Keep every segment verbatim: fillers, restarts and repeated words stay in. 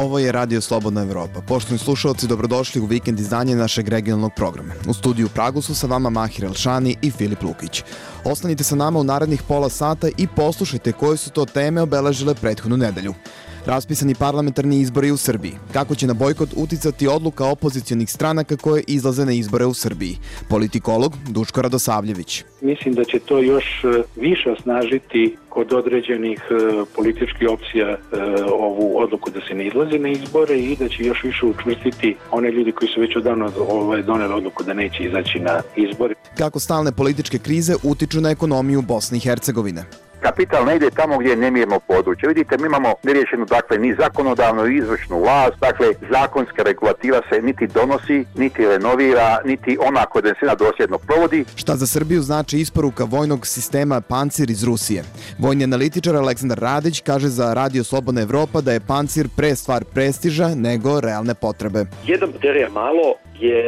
Ovo je Radio Slobodna Evropa. Poštovani slušalci, dobrodošli u vikend izdanje našeg regionalnog programa. U studiju u Pragu su sa vama Mahir Elšani i Filip Lukić. Ostanite sa nama u narednih pola sata i poslušajte koje su to teme obeležile prethodnu nedelju. Raspisani parlamentarni izbori u Srbiji. Kako će na bojkot uticati odluka opozicionih stranaka koje izlaze na izbore u Srbiji? Politikolog Duško Radosavljević. Mislim da će to još više osnažiti kod određenih političkih opcija ovu odluku da se ne izlazi na izbore i da će još više učvrstiti one ljudi koji su već odavno doneli odluku da neće izaći na izbore. Kako stalne političke krize utiču na ekonomiju Bosne i Hercegovine? Kapital ne ide tamo gdje je nemirno područje. Vidite, mi imamo neriješenu, dakle, ni zakonodavnu i izvršnu vlast, dakle, zakonska regulativa se niti donosi, niti renovira, niti ona kodensina dosljedno provodi. Šta za Srbiju znači isporuka vojnog sistema Pancir iz Rusije? Vojni analitičar Aleksandar Radić kaže za Radio Slobodna Evropa da je Pancir pre stvar prestiža nego realne potrebe. Jedan baterija malo je,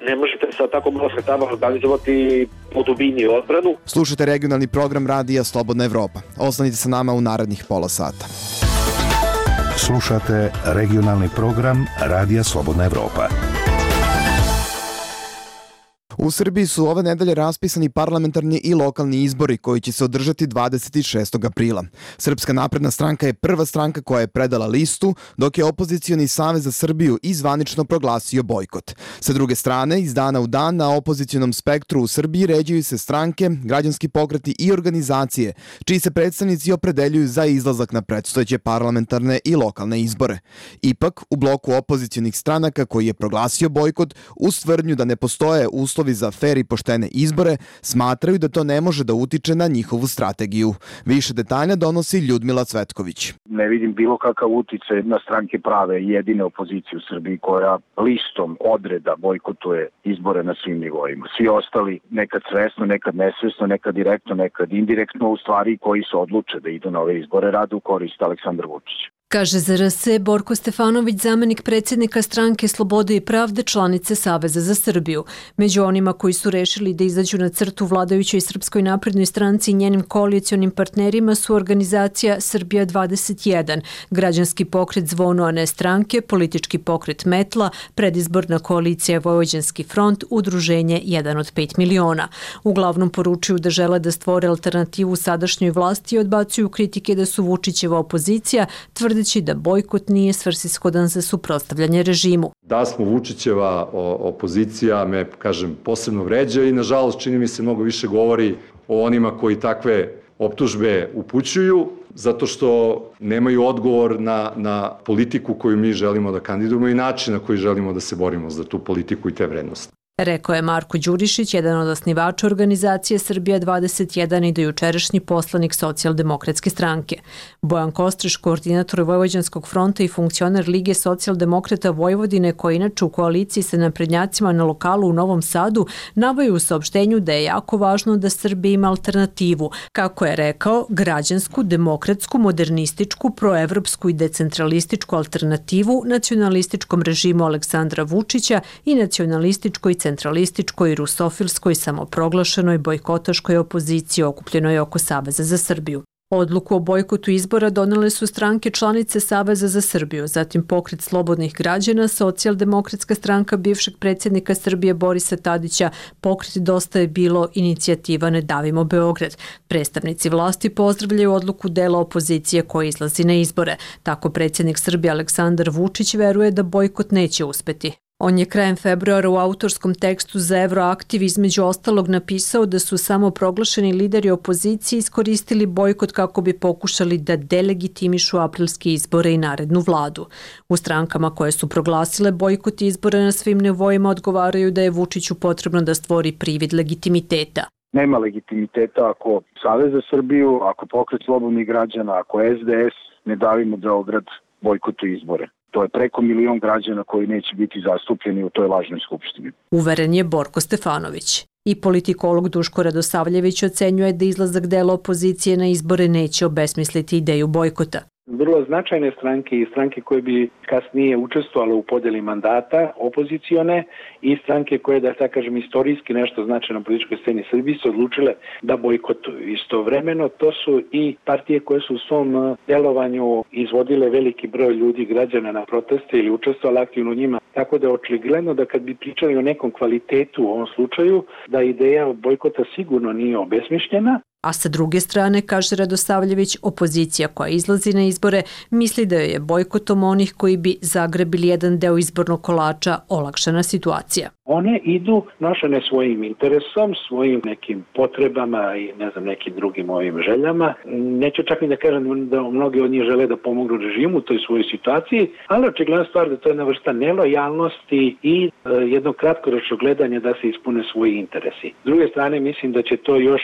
ne možete sa tako malo sredstava organizovati po dubini odbranu. Slušajte regionalni program Radija Slobodna Evropa. Ostanite sa nama u narednih pola sata. Slušate regionalni program Radija Slobodna Evropa. U Srbiji su ove nedelje raspisani parlamentarni i lokalni izbori koji će se održati dvadeset šestog aprila. Srpska napredna stranka je prva stranka koja je predala listu, dok je opozicioni Savez za Srbiju i zvanično proglasio bojkot. Sa druge strane, iz dana u dan na opozicionom spektru u Srbiji ređuju se stranke, građanski pokreti i organizacije, čiji se predstavnici opredeljuju za izlazak na predstojeće parlamentarne i lokalne izbore. Ipak, u bloku opozicionih stranaka koji je proglasio bojkot, uz tvrdnju da ne postoje uslovi za fer i poštene izbore, smatraju da to ne može da utiče na njihovu strategiju. Više detalja donosi Ljudmila Cvetković. Ne vidim bilo kakav uticaj na stranke prave jedine opozicije u Srbiji koja listom odreda bojkotuje izbore na svim nivoima. Svi ostali nekad svesno, nekad nesvesno, nekad direktno, nekad indirektno, u stvari koji se odluče da idu na ove izbore rade u korist Aleksandra Vučića. Kaže za R S Borko Stefanović, zamenik predsjednika stranke Slobode i pravde, članice Saveza za Srbiju. Među onima koji su rešili da izađu na crtu vladajućoj Srpskoj naprednoj stranci i njenim koalicionim partnerima su organizacija Srbija dvadeset jedan, građanski pokret Zvono, a ne stranke, politički pokret Metla, predizborna koalicija Vojvođanski front, udruženje jedan od pet miliona. Uglavnom poručuju da žele da stvore alternativu sadašnjoj vlasti i odbacuju kritike da su Vučićeva opozicija, tvrde da bojkot nije svrsishodan za suprotstavljanje režimu. Da smo Vučićeva opozicija me, kažem, posebno vređa i nažalost čini mi se mnogo više govori o onima koji takve optužbe upućuju, zato što nemaju odgovor na, na politiku koju mi želimo da kandidujemo i način na koji želimo da se borimo za tu politiku i te vrednosti. Rekao je Marko Đurišić, jedan od osnivača organizacije Srbija dvadeset jedan i dojučerašnji poslanik Socijaldemokratske stranke. Bojan Kostreš, koordinator Vojvođanskog fronta i funkcioner Lige socijaldemokrata Vojvodine, koji inače u koaliciji sa naprednjacima na lokalu u Novom Sadu, navaju u saopštenju da je jako važno da Srbija ima alternativu, kako je rekao, građansku, demokratsku, modernističku, proevropsku i decentralističku alternativu nacionalističkom režimu Aleksandra Vučića i nacionalističkoj centralističkoj, rusofilskoj, samoproglašenoj, bojkotaškoj opoziciji okupljenoj oko Saveza za Srbiju. Odluku o bojkotu izbora donele su stranke članice Saveza za Srbiju, zatim Pokret slobodnih građana, Socijaldemokratska stranka bivšeg predsjednika Srbije Borisa Tadića, Pokret Dosta je bilo, inicijativa Ne davimo Beograd. Predstavnici vlasti pozdravljaju odluku dela opozicije koji izlazi na izbore. Tako predsjednik Srbije Aleksandar Vučić veruje da bojkot neće uspeti. On je krajem februara u autorskom tekstu za Euroaktiv između ostalog napisao da su samo proglašeni lideri opozicije iskoristili bojkot kako bi pokušali da delegitimišu aprilske izbore i narednu vladu. U strankama koje su proglasile bojkot izbora na svim nivoima odgovaraju da je Vučiću potrebno da stvori privid legitimiteta. Nema legitimiteta ako Savez za Srbiju, ako Pokret slobodnih građana, ako S D S Ne davimo Beograd bojkotuje izbore. To je preko milion građana koji neće biti zastupljeni u toj lažnoj skupštini. Uveren je Borko Stefanović. I politikolog Duško Radosavljević ocenjuje da izlazak dela opozicije na izbore neće obesmisliti ideju bojkota. vrlo značajne stranke i stranke koje bi kasnije učestvovale u podeli mandata, opozicione, i stranke koje, da tako kažem, istorijski nešto znače na političkoj sceni Srbije, se odlučile da bojkotuju. Istovremeno to su i partije koje su u svom delovanju izvodile veliki broj ljudi, građana na proteste ili učestvovali aktivno u njima. Tako da je očigledno da kad bi pričali o nekom kvalitetu u ovom slučaju, da ideja bojkota sigurno nije obesmišljena. A sa druge strane, kaže Radosavljević, opozicija koja izlazi na izbore misli da je bojkotom onih koji bi zagrebili jedan deo izbornog kolača olakšana situacija. One idu nošene svojim interesom, svojim nekim potrebama i ne znam nekim drugim ovim željama. Neću čak ni da kažem da mnogi od njih žele da pomognu režimu u toj svojoj situaciji, ali očigledna stvar da to je jedna vrsta nelojalnosti i e, jedno kratkoročno gledanje da se ispune svoji interesi. S druge strane, mislim da će to još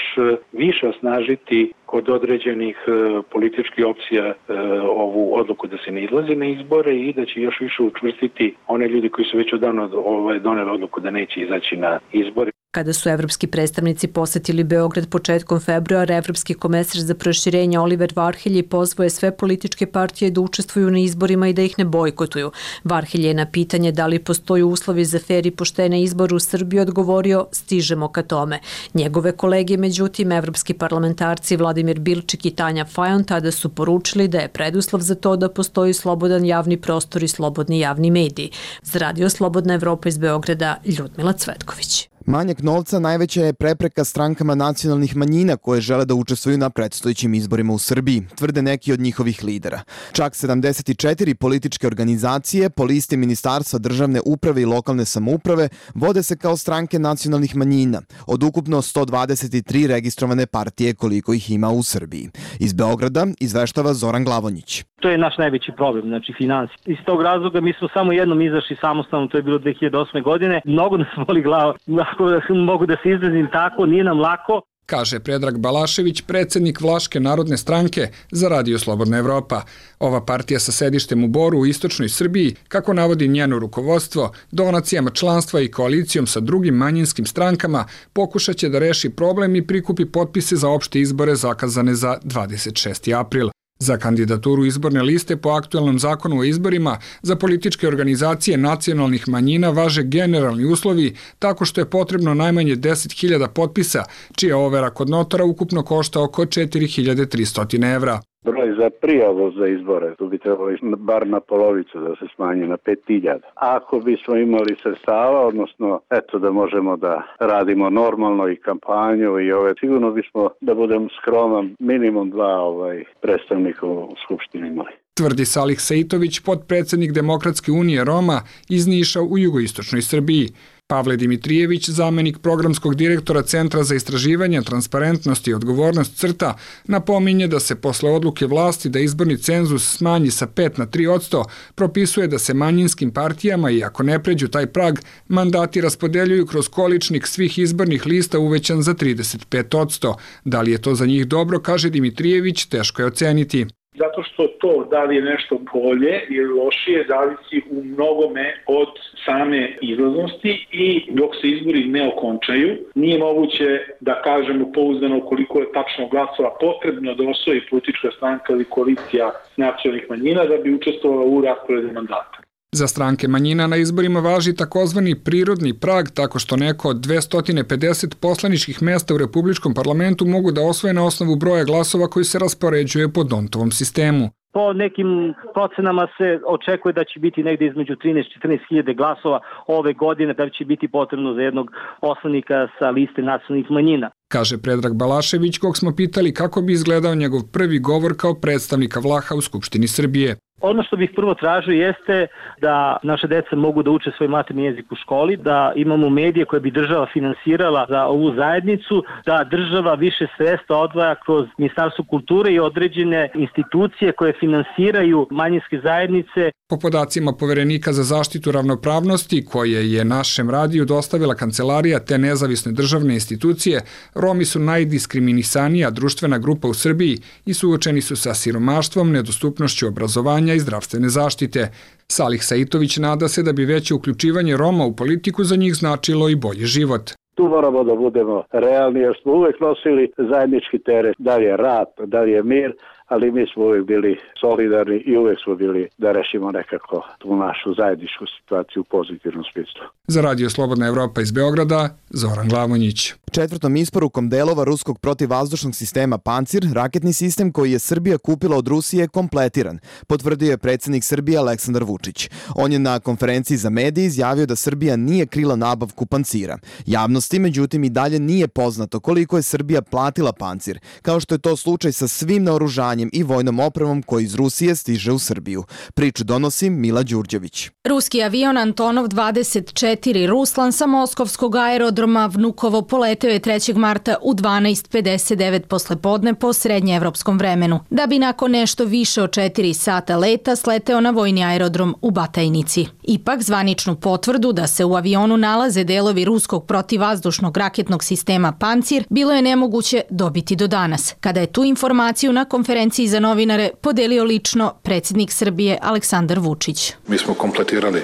više osnažiti kod određenih e, političkih opcija e, ovu odluku da se ne izlazi na izbore i da će još više učvrstiti one ljudi koji su već odavno ovaj, doneli odluku da neće izaći na izbore. Kada su evropski predstavnici posetili Beograd početkom februara, evropski komesar za proširenje Oliver Varhelji pozvao je sve političke partije da učestvuju na izborima i da ih ne bojkotuju. Varhelji je na pitanje da li postoji uslovi za fer i poštene izbore u Srbiji odgovorio: stižemo ka tome. Njegove kolege, međutim, evropski parlamentarci Vladimir Bilčik i Tanja Fajon tada su poručili da je preduslov za to da postoji slobodan javni prostor i slobodni javni mediji. Za Radio Slobodna Evropa iz Beograda, Ljudmila Cvetković. Manjak novca najveća je prepreka strankama nacionalnih manjina koje žele da učestvuju na predstojećim izborima u Srbiji, tvrde neki od njihovih lidera. Čak sedamdeset četiri političke organizacije po listi Ministarstva državne uprave i lokalne samouprave vode se kao stranke nacionalnih manjina, od ukupno sto dvadeset tri registrovane partije koliko ih ima u Srbiji. Iz Beograda izveštava Zoran Glavonjić. To je naš najveći problem, znači financije. Iz tog razloga mi smo samo jednom izašli samostalno, to je bilo dve hiljade osme. godine. Mnogo nas boli glava, ako mogu da se izrazim tako, nije nam lako. Kaže Predrag Balašević, predsjednik Vlaške narodne stranke za Radio Slobodna Evropa. Ova partija sa sedištem u Boru u istočnoj Srbiji, kako navodi njeno rukovodstvo, donacijama članstva i koalicijom sa drugim manjinskim strankama pokušat će da reši problem i prikupi potpise za opšte izbore zakazane za dvadeset šesti april. Za kandidaturu izborne liste po aktuelnom zakonu o izborima za političke organizacije nacionalnih manjina važe generalni uslovi tako što je potrebno najmanje deset hiljada potpisa, čija overa kod notara ukupno košta oko četiri hiljade tristo evra. Broj za prijavu za izbore, tu bi trebalo bar na polovicu da se smanji na pet hiljada. Ako bismo imali sredstava, odnosno eto da možemo da radimo normalno i kampanju i ove, sigurno bismo, da budem skroman, minimum dva ovaj, predstavnika u Skupštini imali. Tvrdi Salih Sejtović, potpredsjednik Demokratske unije Roma iz Niša u jugoistočnoj Srbiji. Pavle Dimitrijević, zamenik programskog direktora Centra za istraživanje, transparentnost i odgovornost CRTA, napominje da se posle odluke vlasti da izborni cenzus smanji sa pet na tri posto, propisuje da se manjinskim partijama, i ako ne pređu taj prag, mandati raspodeljuju kroz količnik svih izbornih lista uvećan za trideset pet posto. Da li je to za njih dobro, kaže Dimitrijević, teško je oceniti. Zato što to da li je nešto bolje ili lošije zavisi u mnogome od same izlaznosti i dok se izbori ne okončaju, nije moguće da kažemo pouzdano koliko je tačno glasova potrebno da osvoji politička stranka ili koalicija nacionalnih manjina da bi učestvovala u rasporedu mandata. Za stranke manjina na izborima važi takozvani prirodni prag, tako što neko od dvesta pedeset poslaničkih mesta u Republičkom parlamentu mogu da osvoje na osnovu broja glasova koji se raspoređuje po Dontovom sistemu. Po nekim procenama se očekuje da će biti negde između trinaest do četrnaest hiljada glasova ove godine, da će biti potrebno za jednog poslanika sa liste nacionalnih manjina. Kaže Predrag Balašević, kog smo pitali kako bi izgledao njegov prvi govor kao predstavnika Vlaha u Skupštini Srbije. Ono što bih prvo tražio jeste da naše deca mogu da uče svoj materni jezik u školi, da imamo medije koje bi država finansirala za ovu zajednicu, da država više sredstva odvaja kroz Ministarstvo kulture i određene institucije koje finansiraju manjinske zajednice. Po podacima Poverenika za zaštitu ravnopravnosti, koje je našem radiju dostavila kancelarija te nezavisne državne institucije, Romi su najdiskriminisanija društvena grupa u Srbiji i suočeni su sa siromaštvom, nedostupnošću obrazovanja i zdravstvene zaštite. Salih Sejtović nada se da bi veće uključivanje Roma u politiku za njih značilo i bolji život. Tu moramo da budemo realni jer smo uvek nosili zajednički teret, da li je rat, da li je mir, ali mi smo uvijek bili solidarni i uvijek smo bili da rešimo nekako tu našu zajedničku situaciju u pozitivnom smislu. Za Radio Slobodna Evropa iz Beograda, Zoran Glavonjić. Četvrtom isporukom delova ruskog protivvazdušnog sistema Pancir, raketni sistem koji je Srbija kupila od Rusije je kompletiran, potvrdio je predsjednik Srbije Aleksandar Vučić. On je na konferenciji za medije izjavio da Srbija nije krila nabavku Pancira. Javnosti, međutim, i dalje nije poznato koliko je Srbija platila Pancir, kao što je to slučaj sa svim naoružanjem i vojnom opremom koji iz Rusije stiže u Srbiju. Priču donosi Mila Đurđević. Ruski avion Antonov dvadeset četiri Ruslan sa moskovskog aerodroma Vnukovo poleteo je trećeg marta u dvanaest pedeset devet poslepodne po srednjeevropskom vremenu, da bi nakon nešto više od četiri sata leta sleteo na vojni aerodrom u Batajnici. Ipak, zvaničnu potvrdu da se u avionu nalaze delovi ruskog protivvazdušnog raketnog sistema Pancir bilo je nemoguće dobiti do danas, kada je tu informaciju na konferenciji za novinare podelio lično predsjednik Srbije Aleksandar Vučić. Mi smo kompletirali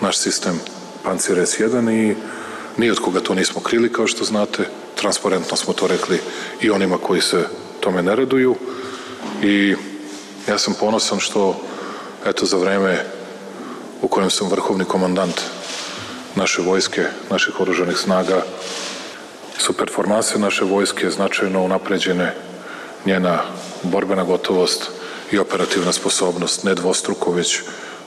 naš sistem Pancir es jedan i ni od koga to nismo krili, kao što znate. Transparentno smo to rekli i onima koji se tome ne raduju. I ja sam ponosan što, eto, za vreme u kojem sam vrhovni komandant naše vojske, naših oružanih snaga, su performanse naše vojske značajno unapređene, njena borbena gotovost i operativna sposobnost ne dvostruko, već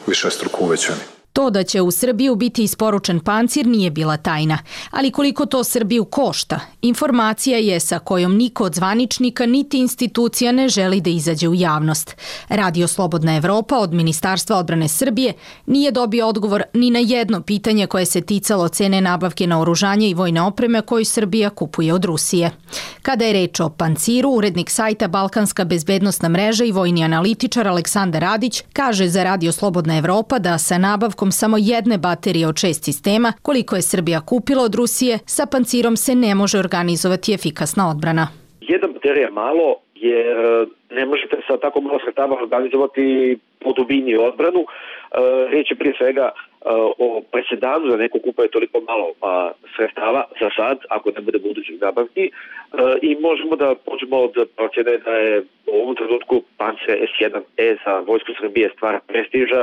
višestruko uvećani. To da će u Srbiju biti isporučen Pancir nije bila tajna, ali koliko to Srbiju košta, informacija je sa kojom niko od zvaničnika niti institucija ne želi da izađe u javnost. Radio Slobodna Evropa od Ministarstva odbrane Srbije nije dobio odgovor ni na jedno pitanje koje se ticalo cene nabavke naoružanja i vojne opreme koju Srbija kupuje od Rusije. Kada je reč o Panciru, urednik sajta Balkanska bezbednosna mreža i vojni analitičar Aleksandar Radić kaže za Radio Slobodna Evropa da sa nabavkom samo jedne baterije od šest sistema, koliko je Srbija kupila od Rusije, sa Pancirom se ne može organizovati efikasna odbrana. Jedna baterija je malo, jer ne možete sa tako malo sredstava organizovati po dubini odbranu. Riječ je prije svega o presedanu da neko kupuje toliko malo sredstava za sad, ako ne bude budućih nabavki. I možemo da počnemo od procjene da je u ovom trenutku Pancir es jedan e za vojsku Srbije stvar prestiža,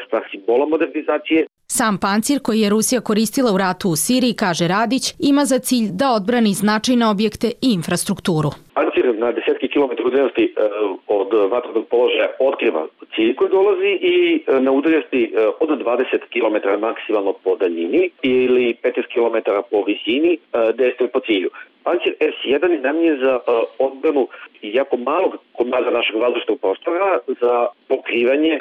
stvar simbola modernizacije. Sam Pancir, koji je Rusija koristila u ratu u Siriji, kaže Radić, ima za cilj da odbrani značajne objekte i infrastrukturu. Pancir na desetki kilometara udaljenosti od vatrenog položaja otkriva cilj koji dolazi i na udaljenosti od dvadeset kilometara maksimalno po daljini ili petnaest kilometara po visini dejstvuje po cilju. Pancir es jedan je namijenjen za odbranu jako malog komada našeg vazdušnog prostora za pokrivanje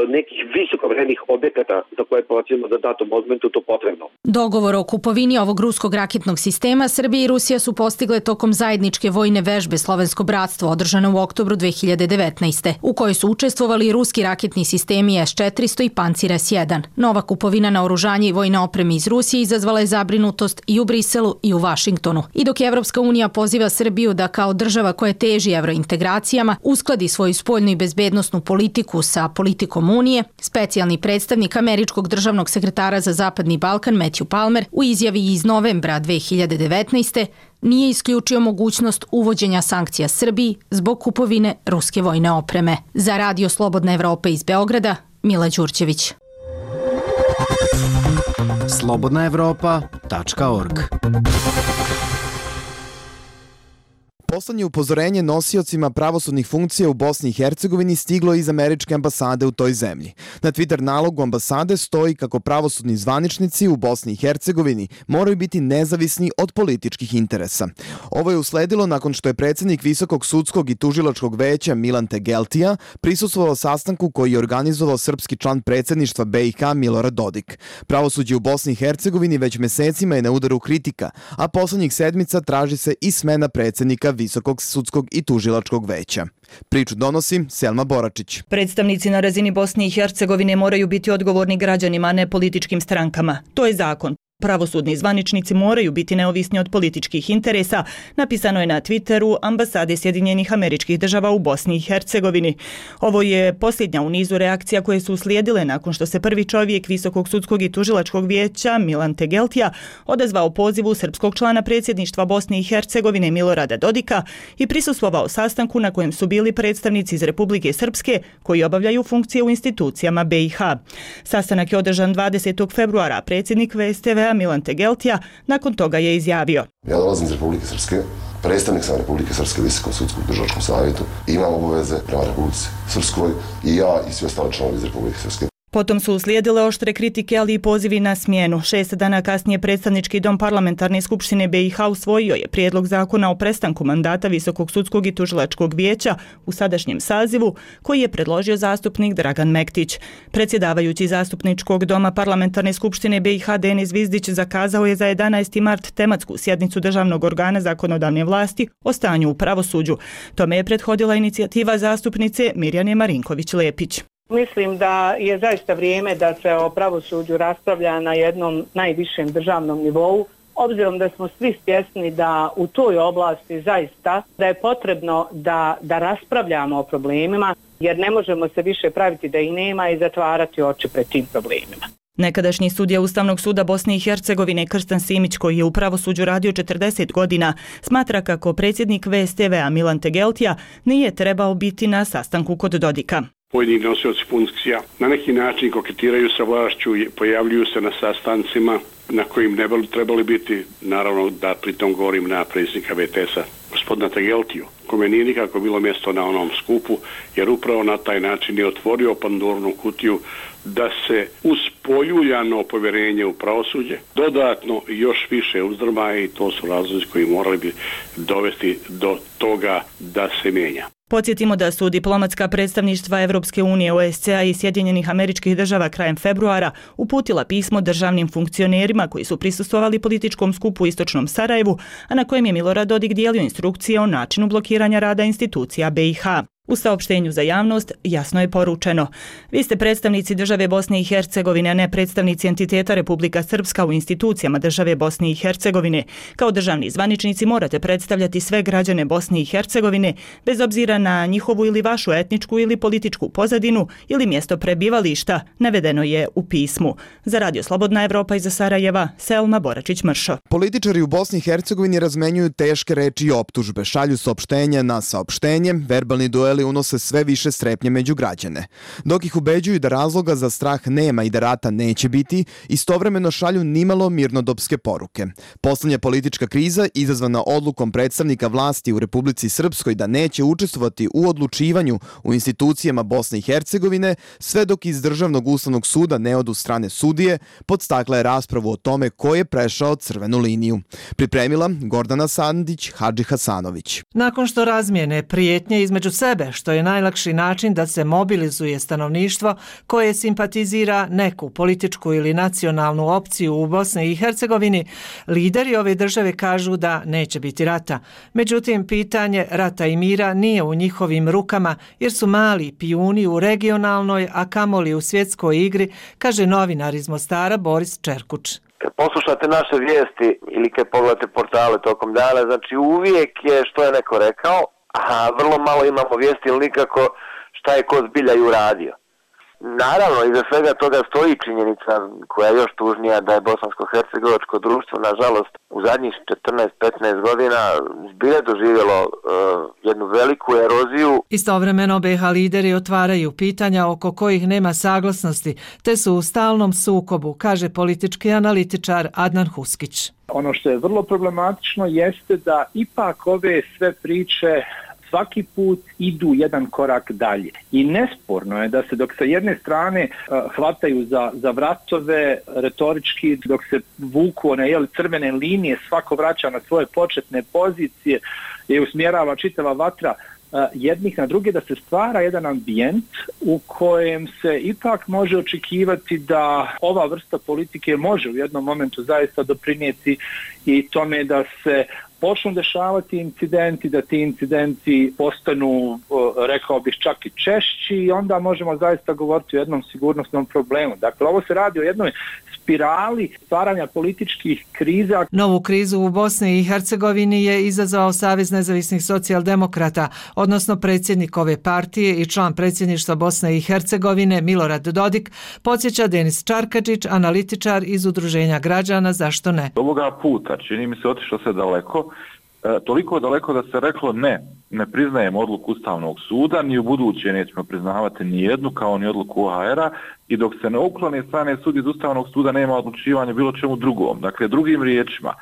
nekih visokovrednih objekata za koje procjenimo da datom momentu to potrebno. Dogovor o kupovini ovog ruskog raketnog sistema Srbija i Rusija su postigle tokom zajedničke vojne vežbe Slovensko bratstvo održane u oktobru dve hiljade devetnaeste. u kojoj su učestvovali ruski raketni sistemi es četiristo i Pancir es jedan. Nova kupovina naoružanja i vojne opreme iz Rusije izazvala je zabrinutost i u Briselu i u Vašingtonu. I dok Evropska unija poziva Srbiju da kao država koja teži evrointegracijama uskladi svoju spoljnu i bezbednosnu politiku sa politikom Unije, specijalni predstavnik američkog državnog sekretara za Zapadni Balkan Matthew Palmer u izjavi iz novembra dve hiljade devetnaeste. nije isključio mogućnost uvođenja sankcija Srbiji zbog kupovine ruske vojne opreme. Za Radio Slobodna Evropa iz Beograda, Mila Đurđević. slobodna evropa tačka org. Poslednje upozorenje nosiocima pravosudnih funkcija u Bosni i Hercegovini stiglo iz američke ambasade u toj zemlji. Na Twitter nalogu ambasade stoji kako pravosudni zvaničnici u Bosni i Hercegovini moraju biti nezavisni od političkih interesa. Ovo je usledilo nakon što je predsjednik Visokog sudskog i tužilačkog veća Milan Tegeltija prisustvovao sastanku koji je organizovao srpski član predsjedništva be i ha Milorad Dodik. Pravosuđe u Bosni i Hercegovini već mesecima je na udaru kritika, a poslednjih sedmica traži se i smena predsjednika Visokog sudskog i tužilačkog veća. Priču donosi Selma Boračić. Predstavnici na razini Bosne i Hercegovine moraju biti odgovorni građanima, a ne političkim strankama. To je zakon. Pravosudni zvaničnici moraju biti neovisni od političkih interesa, napisano je na Twitteru ambasade Sjedinjenih Američkih Država u Bosni i Hercegovini. Ovo je posljednja u nizu reakcija koje su uslijedile nakon što se prvi čovjek Visokog sudskog i tužilačkog vijeća Milan Tegeltija odazvao pozivu srpskog člana predsjedništva Bosne i Hercegovine Milorada Dodika i prisustvovao sastanku na kojem su bili predstavnici iz Republike Srpske koji obavljaju funkcije u institucijama B i H. Sastanak je održan dvadesetog februara, predsjednik V S T V Milan Tegeltija nakon toga je izjavio: Ja dolazim iz Republike Srpske, predstavnik sam Republike Srpske u Visokom sudskom državnom savjetu, imam obaveze prema Republici Srpskoj i ja i svi ostali članovi iz Republike Srpske. Potom su uslijedile oštre kritike, ali i pozivi na smjenu. Šest dana kasnije predstavnički dom parlamentarne skupštine B i H usvojio je prijedlog zakona o prestanku mandata Visokog sudskog i tužilačkog vijeća u sadašnjem sazivu, koji je predložio zastupnik Dragan Mektić. Predsjedavajući zastupničkog doma parlamentarne skupštine B i H Denis Zvizdić zakazao je za jedanaesti mart tematsku sjednicu državnog organa zakonodavne vlasti o stanju u pravosuđu. Tome je prethodila inicijativa zastupnice Mirjane Marinković-Lepić. Mislim da je zaista vrijeme da se o pravosuđu raspravlja na jednom najvišem državnom nivou, obzirom da smo svi svjesni da u toj oblasti zaista da je potrebno da, da raspravljamo o problemima, jer ne možemo se više praviti da ih nema i zatvarati oči pred tim problemima. Nekadašnji sudija Ustavnog suda Bosne i Hercegovine Krstan Simić, koji je u pravosuđu radio četrdeset godina, smatra kako predsjednik V S T V Milan Tegeltija nije trebao biti na sastanku kod Dodika. Pojedini nosioci funkcija na neki način koketiraju sa vlašću, pojavljuju se na sastancima na kojim ne bi trebali biti, naravno da pritom govorim na predsjednika V T S-a, gospodina Tegeltiju, kome nije nikako bilo mjesto na onom skupu, jer upravo na taj način je otvorio Pandorinu kutiju da se uz poljuljano povjerenje u pravosuđe dodatno još više uzdrma, i to su razlozi koji morali bi dovesti do toga da se mijenja. Podsjetimo da su diplomatska predstavništva Evropske unije, O S C A i Sjedinjenih Američkih Država krajem februara uputila pismo državnim funkcionerima koji su prisustvovali političkom skupu u istočnom Sarajevu, a na kojem je Milorad Dodik dijelio instrukcije o načinu blokiranja rada institucija B i H. U saopštenju za javnost jasno je poručeno: vi ste predstavnici države Bosne i Hercegovine, a ne predstavnici entiteta Republika Srpska u institucijama države Bosne i Hercegovine. Kao državni zvaničnici morate predstavljati sve građane Bosne i Hercegovine, bez obzira na njihovu ili vašu etničku ili političku pozadinu ili mjesto prebivališta, navedeno je u pismu. Za Radio Slobodna Evropa iz Sarajeva, Selma Boračić-Mršo. Političari u Bosni i Hercegovini razmenjuju teške reči i optužbe, šalju saopštenja na saopštenje, verbalni duel unose sve više strepnje među građane. Dok ih ubeđuju da razloga za strah nema i da rata neće biti, istovremeno šalju nimalo mirnodopske poruke. Poslednja politička kriza, izazvana odlukom predstavnika vlasti u Republici Srpskoj da neće učestvovati u odlučivanju u institucijama Bosne i Hercegovine, sve dok iz Državnog ustavnog suda ne odu strane sudije, podstakla je raspravu o tome ko je prešao crvenu liniju. Pripremila Gordana Sandić, Hadži Hasanović. Nakon što razmijene prijetnje između sebe, što je najlakši način da se mobilizuje stanovništvo koje simpatizira neku političku ili nacionalnu opciju u Bosni i Hercegovini, lideri ove države kažu da neće biti rata. Međutim, pitanje rata i mira nije u njihovim rukama, jer su mali pijuni u regionalnoj, a kamoli u svjetskoj igri, kaže novinar iz Mostara Boris Čerkuč. Kad poslušate naše vijesti ili kad pogledate portale tokom dana, znači uvijek je što je neko rekao, a vrlo malo imamo vijesti ili nikako šta je ko zbilja i uradio. Naravno, iza svega toga stoji činjenica koja je još tužnija, da je bosansko-hercegovačko društvo, nažalost, u zadnjih četrnaest petnaest godina zbilja doživjelo uh, jednu veliku eroziju. Istovremeno B H lideri otvaraju pitanja oko kojih nema saglasnosti, te su u stalnom sukobu, kaže politički analitičar Adnan Huskić. Ono što je vrlo problematično jeste da ipak ove sve priče svaki put idu jedan korak dalje. I nesporno je da se dok sa jedne strane uh, hvataju za, za vratove retorički, dok se vuku one jel, crvene linije, svako vraća na svoje početne pozicije i usmjerava čitava vatra uh, jednih na druge, da se stvara jedan ambijent u kojem se ipak može očekivati da ova vrsta politike može u jednom momentu zaista doprinijeti i tome da se počnu dešavati incidenti, da ti incidenti postanu, rekao bih, čak i češći i onda možemo zaista govoriti o jednom sigurnosnom problemu. Dakle, ovo se radi o jednoj spirali stvaranja političkih kriza. Novu krizu u Bosni i Hercegovini je izazvao Savez nezavisnih socijaldemokrata, odnosno predsjednik ove partije i član predsjedništva Bosne i Hercegovine Milorad Dodik, podsjeća Denis Čarkadžić, analitičar iz Udruženja građana Zašto ne? Ovoga puta čini mi se otišlo se daleko, e, toliko daleko da se reklo ne, ne priznajemo odluku Ustavnog suda, ni u buduće nećemo priznavati ni jednu kao ni odluku O H R-a i dok se ne uklone strane sud iz Ustavnog suda nema odlučivanja bilo čemu drugom. Dakle, drugim riječima,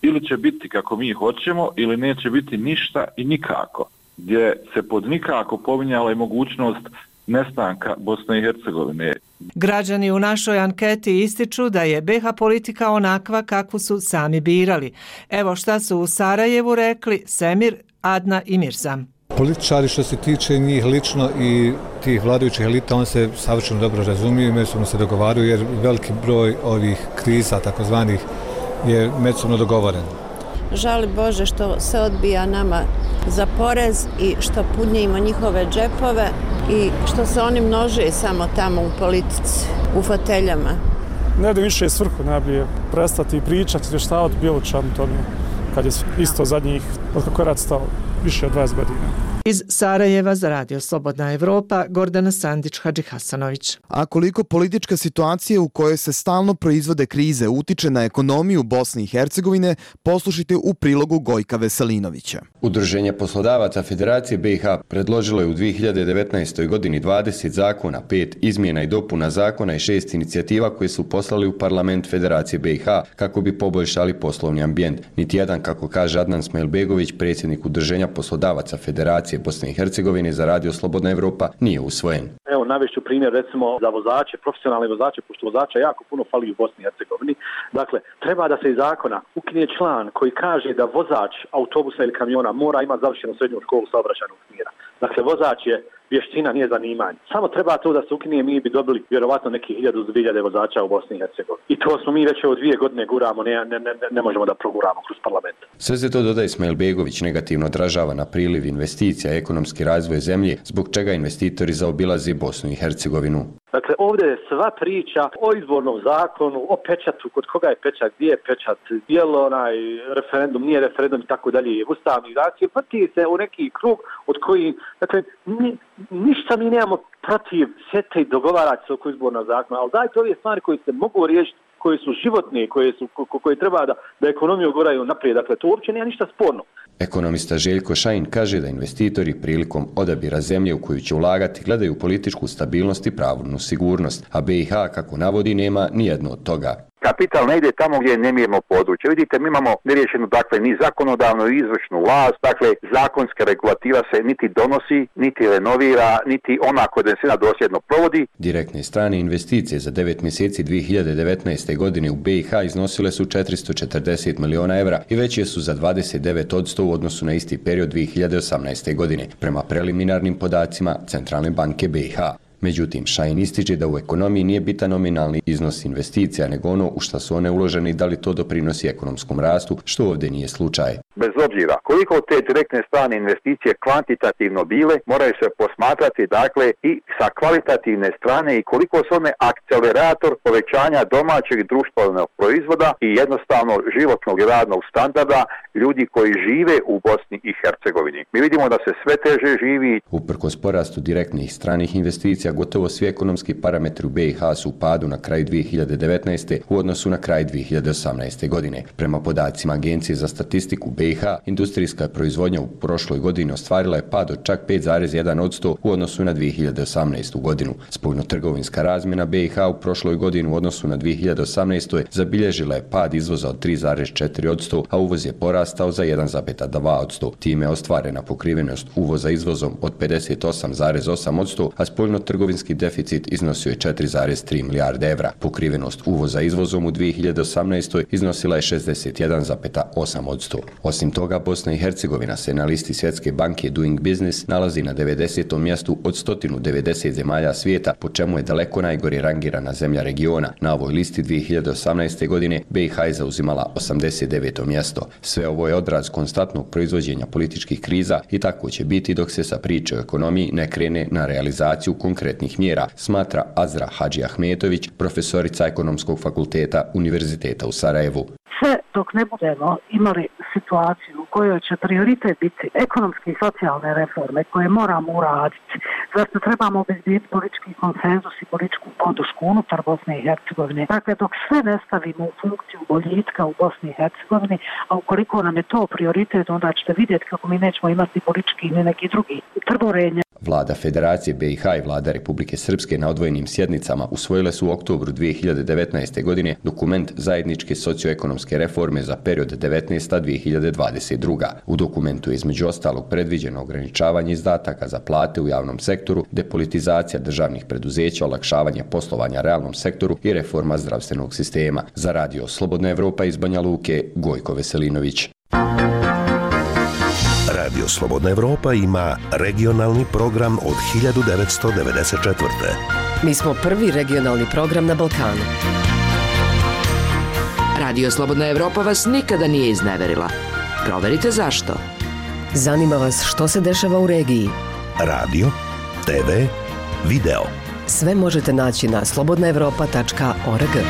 ili će biti kako mi hoćemo ili neće biti ništa i nikako, gdje se pod nikako pominjala i mogućnost nestanka Bosne i Hercegovine. Građani u našoj anketi ističu da je B H politika onakva kakvu su sami birali. Evo šta su u Sarajevu rekli Semir, Adna i Mirzam. Političari što se tiče njih lično i tih vladajućih elita, on se savršeno dobro razumiju i međusobno se dogovaraju jer veliki broj ovih kriza takozvanih je međusobno dogovoren. Žali Bože što se odbija nama za porez i što punjimo njihove džepove i što se oni množe samo tamo u politici, u foteljama. Ne da više svrhu najbolje prestati pričati, izvještavati bilo čemu tome, kad je isto zadnjih, od kako je rad stao, više od dvadeset godina. Iz Sarajeva za Radio Slobodna Evropa, Gordana Sandić, Hadži Hasanović. A koliko politička situacija u kojoj se stalno proizvode krize utiče na ekonomiju Bosne i Hercegovine, poslušajte u prilogu Gojka Veselinovića. Udruženje poslodavaca Federacije B i H predložilo je u dvije hiljade devetnaestoj. godini dvadeset zakona, pet izmjena i dopuna zakona i šest inicijativa koje su poslali u parlament Federacije B i H kako bi poboljšali poslovni ambijent. Niti jedan, kako kaže Adnan Smajlbegović, predsjednik Udruženja poslodavaca Federacije Bosne i Hercegovine za Radio Slobodna Evropa, nije usvojen. Evo, navešću primjer recimo za vozače, profesionalne vozače, pošto vozača jako puno fali u Bosni i Hercegovini. Dakle, treba da se iz zakona ukine član koji kaže da vozač autobusa ili kamiona mora imati završenu srednju školu saobraćajnog smjera. Dakle, vozač je vještina, nije zanimanje. Samo treba to da se ukine, mi bi dobili vjerovatno neki hiljadu do dvije hiljade vozača u Bosni i Hercegovini. I to smo mi već od dvije godine guramo, ne, ne, ne, ne možemo da proguramo kroz parlament. Sve se to, dodaje Smajlbegović, negativno odražava na priliv investicija i ekonomski razvoj zemlje, zbog čega investitori zaobilaze Bosnu i Hercegovinu. Dakle, ovdje je sva priča o izbornom zakonu, o pečatu, kod koga je pečat, gdje je pečat, je li onaj referendum, nije referendum i tako dalje, ustavni zakon, vrti se u neki krug od koji, dakle, ni, ništa mi nemamo protiv sjete i dogovarati se oko izbornog zakona, ali dajte ove stvari koje se mogu riješiti, koje su životne, koje, su, ko, koje treba da, da ekonomiju goraju naprijed, dakle, to uopće nema ništa sporno. Ekonomista Željko Šajin kaže da investitori prilikom odabira zemlje u koju će ulagati gledaju političku stabilnost i pravnu sigurnost, a B i H, kako navodi, nema nijedno od toga. Kapital ne ide tamo gdje je nemirno područje. Vidite, mi imamo neriješenu, dakle, ni zakonodavnu i izvršnu vlast, dakle, zakonska regulativa se niti donosi, niti renovira, niti ona koja donesena dosljedno provodi. Direktne strane investicije za devet mjeseci dvije hiljade devetnaeste. godine u B i H iznosile su četiristo četrdeset miliona evra i veće su za dvadeset devet posto u odnosu na isti period dvije hiljade osamnaeste. godine, prema preliminarnim podacima Centralne banke B i H. Međutim, Šajin ističe da u ekonomiji nije bitan nominalni iznos investicija, nego ono u šta su one uložene i da li to doprinosi ekonomskom rastu, što ovdje nije slučaj. Bez obzira koliko te direktne strane investicije kvantitativno bile, moraju se posmatrati, dakle, i sa kvalitativne strane i koliko su one akcelerator povećanja domaćeg društvenog proizvoda i jednostavno životnog i radnog standarda ljudi koji žive u Bosni i Hercegovini. Mi vidimo da se sve teže živi. Uprkos porastu direktnih stranih investicija, gotovo svi ekonomski parametri u B i H su u padu na kraju dvije hiljade devetnaeste. u odnosu na kraj dvije hiljade osamnaeste. godine. Prema podacima Agencije za statistiku B i H, industrijska proizvodnja u prošloj godini ostvarila je pad od čak pet zarez jedan posto u odnosu na dvije hiljade osamnaestu. godinu. Spoljnotrgovinska razmjena B i H u prošloj godini u odnosu na dvije hiljade osamnaestu. zabilježila je pad izvoza od tri zarez četiri posto, a uvoz je porastao za jedan zarez dva posto. Time je ostvarena pokrivenost uvoza izvozom od pedeset osam zarez osam posto, a spoljnotrgovinski deficit iznosio je četiri zarez tri milijarde evra. Pokrivenost uvoza izvozom u dvije hiljade osamnaestoj. iznosila je šezdeset jedan zarez osam posto. Osim toga, Bosna i Hercegovina se na listi Svjetske banke Doing Business nalazi na devedesetom mjestu od sto devedeset zemalja svijeta, po čemu je daleko najgore rangirana zemlja regiona. Na ovoj listi dvije hiljade osamnaeste. godine B i H je zauzimala osamdeset deveto mjesto. Sve ovo je odraz konstantnog proizvođenja političkih kriza i tako će biti dok se sa priče o ekonomiji ne krene na realizaciju konkretnih mjera, smatra Azra Hadži Ahmetović, profesorica Ekonomskog fakulteta Univerziteta u Sarajevu. Sve dok ne budemo imali situaciju u kojoj će prioritet biti ekonomske i socijalne reforme koje moramo uraditi, zašto trebamo obezbijeti politički konsenzus i političku podršku unutar Bosne i Hercegovine. Dakle, dok sve ne stavimo u funkciju boljitka u Bosni i Hercegovini, a ukoliko nam je to prioritet, onda ćete vidjeti kako mi nećemo imati politički ni neki drugi trborenje. Vlada Federacije B i H i Vlada Republike Srpske na odvojenim sjednicama usvojile su u oktobru dvije hiljade devetnaeste. godine dokument zajedničke socioekonomske reforme za period devetnaesta do dvije hiljade dvadeset druga. U dokumentu je između ostalog predviđeno ograničavanje izdataka za plate u javnom sektoru, depolitizacija državnih preduzeća, olakšavanje poslovanja realnom sektoru i reforma zdravstvenog sistema. Za radio Slobodna Evropa iz Banja Luke, Gojko Veselinović. Radio Slobodna Evropa ima regionalni program od hiljadu devetsto devedeset četvrte. Mi smo prvi regionalni program na Balkanu. Radio Slobodna Evropa vas nikada nije izneverila. Proverite zašto. Zanima vas što se dešava u regiji. Radio, te ve, video. Sve možete naći na slobodna evropa tačka org.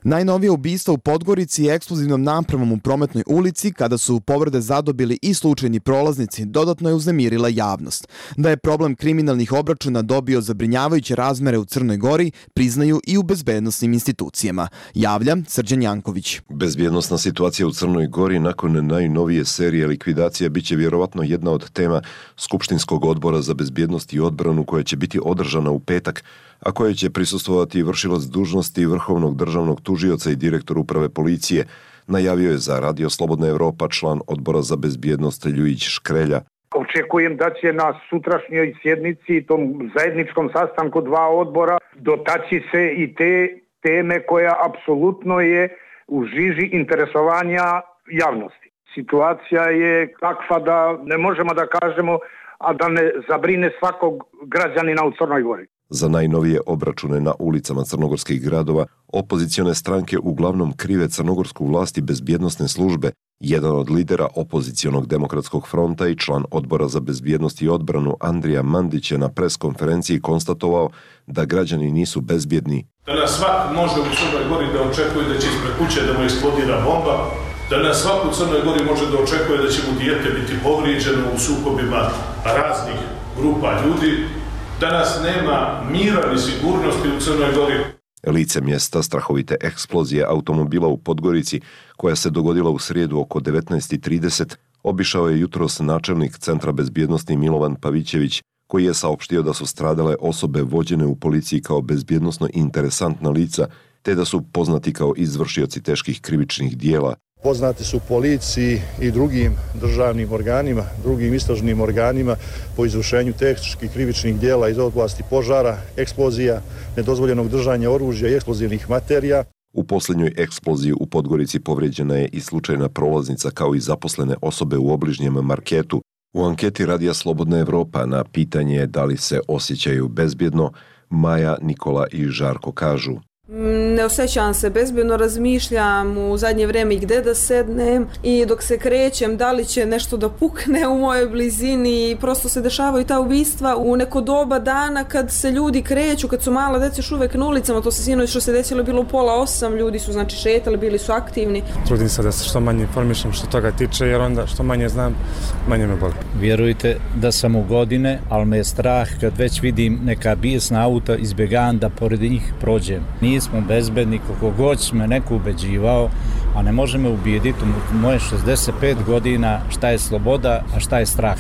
Najnovije ubistvo u Podgorici je eksplozivnom napravom u Prometnoj ulici, kada su povrede zadobili i slučajni prolaznici, dodatno je uznemirila javnost. Da je problem kriminalnih obračuna dobio zabrinjavajuće razmere u Crnoj Gori, priznaju i u bezbednosnim institucijama. Javlja Srđan Janković. Bezbjednosna situacija u Crnoj Gori nakon najnovije serije likvidacija biće vjerovatno jedna od tema Skupštinskog odbora za bezbjednost i odbranu koja će biti održana u petak, a koje će prisustvovati vršilac dužnosti Vrhovnog državnog tužioca i direktor uprave policije, najavio je za Radio Slobodna Evropa član odbora za bezbjednost Ljujić Škrelja. Očekujem da će na sutrašnjoj sjednici, tom zajedničkom sastanku dva odbora, dotaći se i te teme koja apsolutno je u žiži interesovanja javnosti. Situacija je takva da ne možemo da kažemo, a da ne zabrine svakog građanina u Crnoj Gori. Za najnovije obračune na ulicama crnogorskih gradova, opozicione stranke uglavnom krive crnogorsku vlast i bezbjednosne službe. Jedan od lidera opozicionog demokratskog fronta i član odbora za bezbjednost i odbranu Andrija Mandić je na preskonferenciji konstatovao da građani nisu bezbjedni. Danas svak može u Crnoj Gori da očekuje da će ispred kuće da mu eksplodira bomba, danas svak u Crnoj Gori može da očekuje da će mu dijete biti povrijeđeno u sukobima raznih grupa ljudi. Danas nema mira ni sigurnosti u Crnoj Gori. Lice mjesta strahovite eksplozije automobila u Podgorici, koja se dogodila u srijedu oko devetnaest i trideset, obišao je jutros načelnik Centra bezbjednosti Milovan Pavićević, koji je saopštio da su stradale osobe vođene u policiji kao bezbjednosno interesantna lica, te da su poznati kao izvršioci teških krivičnih dijela. Poznati su policiji i drugim državnim organima, drugim istražnim organima po izvršenju teških krivičnih dijela iz oblasti požara, eksplozija, nedozvoljenog držanja oružja i eksplozivnih materija. U posljednjoj eksploziji u Podgorici povrijeđena je i slučajna prolaznica kao i zaposlene osobe u obližnjem marketu. U anketi Radija Slobodna Evropa na pitanje da li se osjećaju bezbjedno, Maja, Nikola i Žarko kažu: Ne osjećam se bezbjedno, razmišljam u zadnje vrijeme i gdje da sednem i dok se krećem da li će nešto da pukne u mojoj blizini i prosto se dešavaju ta ubistva u neko doba dana kad se ljudi kreću, kad su mala djeca još uvek na ulicama, to se sinoć što se desilo bilo u pola osam, ljudi su znači šetali, bili su aktivni. Trudim se da se što manje informišem što toga tiče, jer onda što manje znam, manje me boli. Vjerujte da sam u godine, ali me je strah kad već vidim neka bijesna auta, izbjegavam da pored njih prođem. Nismo bezbedni, koliko god me neko ubeđivao, a ne može me ubijediti u moje šezdeset pet godina šta je sloboda, a šta je strah.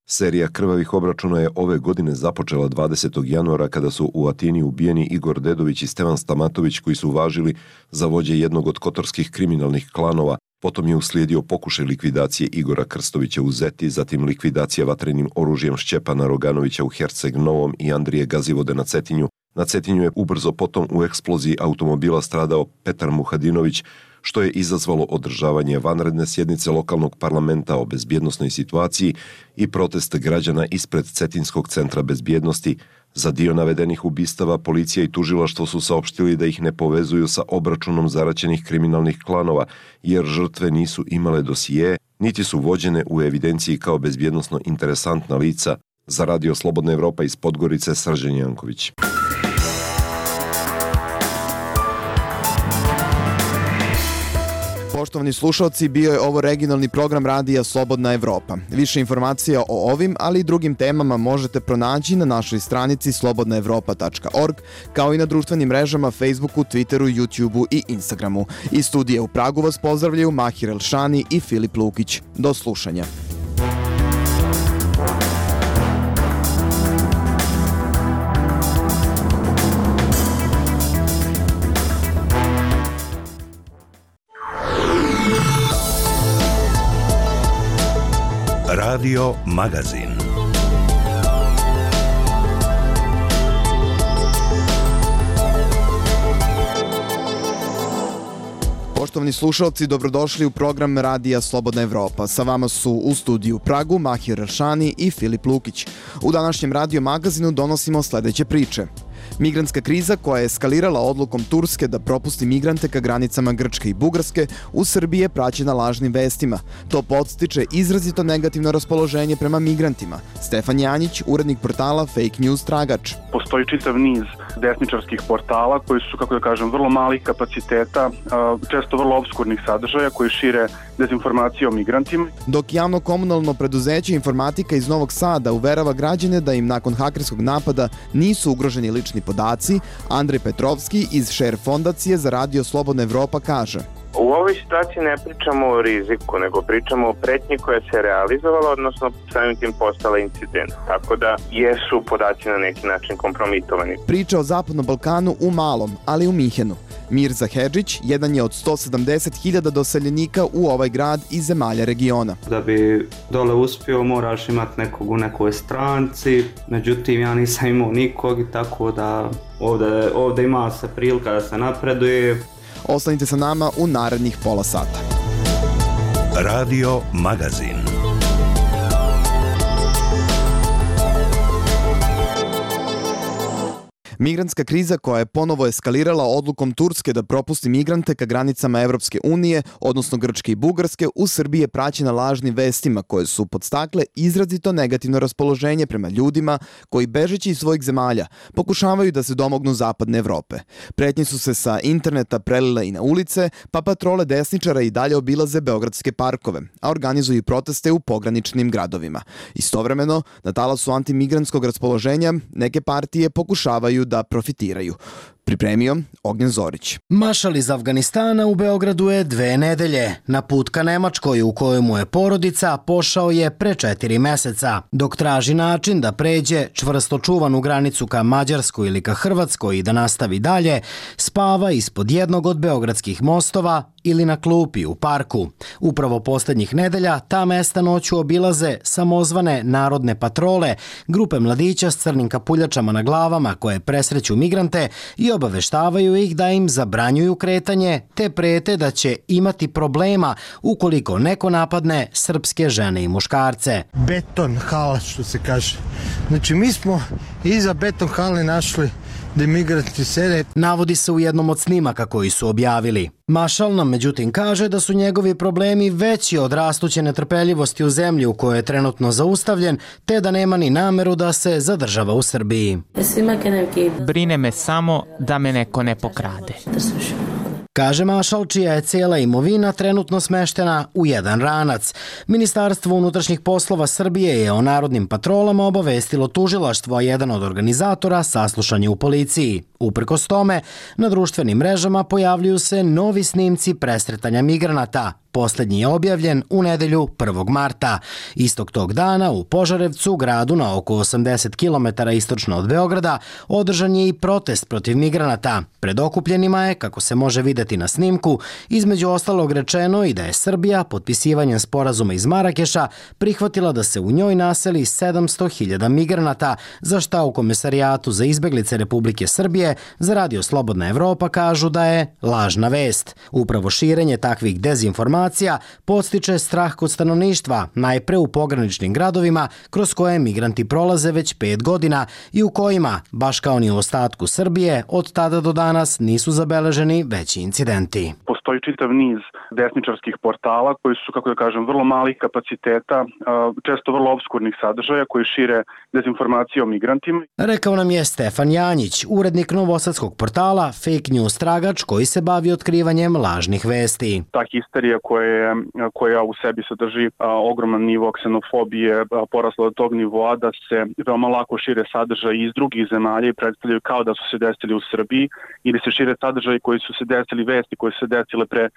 Serija krvavih obračuna je ove godine započela dvadesetog januara kada su u Atini ubijeni Igor Dedović i Stevan Stamatović, koji su važili za vođe jednog od kotorskih kriminalnih klanova. Potom je uslijedio pokušaj likvidacije Igora Krstovića u Zeti, zatim likvidacija vatrenim oružjem Šćepana Roganovića u Herceg Novom i Andrije Gazivode na Cetinju. Na Cetinju je ubrzo potom u eksploziji automobila stradao Petar Muhadinović, što je izazvalo održavanje vanredne sjednice lokalnog parlamenta o bezbjednosnoj situaciji i protest građana ispred Cetinskog centra bezbjednosti. Za dio navedenih ubistava policija i tužilaštvo su saopštili da ih ne povezuju sa obračunom zaraćenih kriminalnih klanova, jer žrtve nisu imale dosije, niti su vođene u evidenciji kao bezbjednosno interesantna lica. Za Radio Slobodna Evropa iz Podgorice, Srđan Janković. Poštovani slušalci, bio je ovo regionalni program Radija Slobodna Evropa. Više informacija o ovim, ali i drugim temama možete pronaći na našoj stranici slobodna evropa tačka org, kao i na društvenim mrežama Facebooku, Twitteru, YouTubeu i Instagramu. Iz studija u Pragu vas pozdravljaju Mahir Elšani i Filip Lukić. Do slušanja. Radio Magazin. Poštovani slušalci, dobrodošli u program Radija Slobodna Evropa. Sa vama su u studiju u Pragu Mahir Elšani i Filip Lukić. U današnjem Radio Magazinu donosimo sledeće priče. Migrantska kriza koja je eskalirala odlukom Turske da propusti migrante ka granicama Grčke i Bugarske u Srbiji je praćena lažnim vestima. To podstiče izrazito negativno raspoloženje prema migrantima. Stefan Janjić, urednik portala Fake News Tragač. Postoji čitav niz desničarskih portala koji su, kako da kažem, vrlo malih kapaciteta, često vrlo obskurnih sadržaja koji šire dezinformacije o migrantima. Dok javno komunalno preduzeće Informatika iz Novog Sada uverava građane da im nakon hakerskog napada nisu ugroženi lični podaci, Andrej Petrovski iz Share fondacije za Radio Slobodna Evropa kaže: U ovoj situaciji ne pričamo o riziku, nego pričamo o pretnji koja se realizovala, odnosno samim tim postala incident. Tako da jesu podaci na neki način kompromitovani. Priča o Zapadnom Balkanu u malom, ali u Minhenu. Mirza Hedžić jedan je od sto sedamdeset hiljada doseljenika u ovaj grad iz zemalja regiona. Da bi dole uspio moraš imati nekog u nekoj stranci, međutim ja nisam imao nikog i tako da ovde, ovde ima se prilika da se napreduje. Ostanite sa nama u narednih pola sata. Radio Magazin. Migrantska kriza koja je ponovo eskalirala odlukom Turske da propusti migrante ka granicama Evropske unije, odnosno Grčke i Bugarske, u Srbiji je praćena lažnim vestima koje su podstakle izrazito negativno raspoloženje prema ljudima koji, bežeći iz svojih zemalja, pokušavaju da se domognu zapadne Evrope. Pretnje su se sa interneta prelile i na ulice, pa patrole desničara i dalje obilaze beogradske parkove, a organizuju proteste u pograničnim gradovima. Istovremeno, na talasu antimigrantskog raspoloženja, neke partije pokušavaju da profitiraju. Pripremio Ognjen Zorić. Mašal iz Afganistana u Beogradu je dve nedelje. Na put ka Nemačkoj u kojoj mu je porodica pošao je pre četiri meseca. Dok traži način da pređe čvrsto čuvanu granicu ka Mađarskoj ili ka Hrvatskoj i da nastavi dalje, spava ispod jednog od beogradskih mostova ili na klupi u parku. Upravo poslednjih nedelja ta mesta noću obilaze samozvane narodne patrole, grupe mladića s crnim kapuljačama na glavama koje presreću migrante i obaveštavaju ih da im zabranjuju kretanje, te prete da će imati problema ukoliko neko napadne srpske žene i muškarce. Beton hala, što se kaže. Znači mi smo iza beton hale našli da migranti sede. Navodi se u jednom od snimaka koji su objavili. Mašal nam međutim kaže da su njegovi problemi veći od rastuće netrpeljivosti u zemlji u kojoj je trenutno zaustavljen, te da nema ni nameru da se zadržava u Srbiji. Brine me samo da me neko ne pokrade. Kaže Mašal, čija je cijela imovina trenutno smeštena u jedan ranac. Ministarstvo unutrašnjih poslova Srbije je o narodnim patrolama obavestilo tužilaštvo, a jedan od organizatora saslušan je u policiji. Uprkos tome, na društvenim mrežama pojavljuju se novi snimci presretanja migranata. Posljednji je objavljen u nedelju prvog marta. Istog tog dana u Požarevcu, gradu na oko osamdeset kilometara istočno od Beograda, održan je i protest protiv migranata. Pred okupljenima je, kako se može vidjeti na snimku, između ostalog rečeno i da je Srbija potpisivanjem sporazuma iz Marakeša prihvatila da se u njoj naseli sedamsto hiljada migranata, za šta u Komesarijatu za izbeglice Republike Srbije za Radio Slobodna Evropa kažu da je lažna vest. Upravo širenje takvih dezinformacija podstiče strah kod stanovništva, najpre u pograničnim gradovima kroz koje migranti prolaze već pet godina i u kojima, baš kao ni u ostatku Srbije, od tada do danas nisu zabeleženi veći incidenti. Postoji čitav niz desničarskih portala koji su, kako da kažem, vrlo malih kapaciteta, često vrlo obskurnih sadržaja koji šire dezinformacije o migrantima. Rekao nam je Stefan Janjić, urednik novosadskog portala Fake News Tragač, koji se bavi otkrivanjem lažnih vesti. Ta histerija koja, koja u sebi sadrži a, ogroman nivo ksenofobije, a, porasla do tog nivoa da se veoma lako šire sadržaj iz drugih zemalja i predstavljaju kao da su se desili u Srbiji, ili se šire sadržaj koji su se desili, vesti koje su se desile pre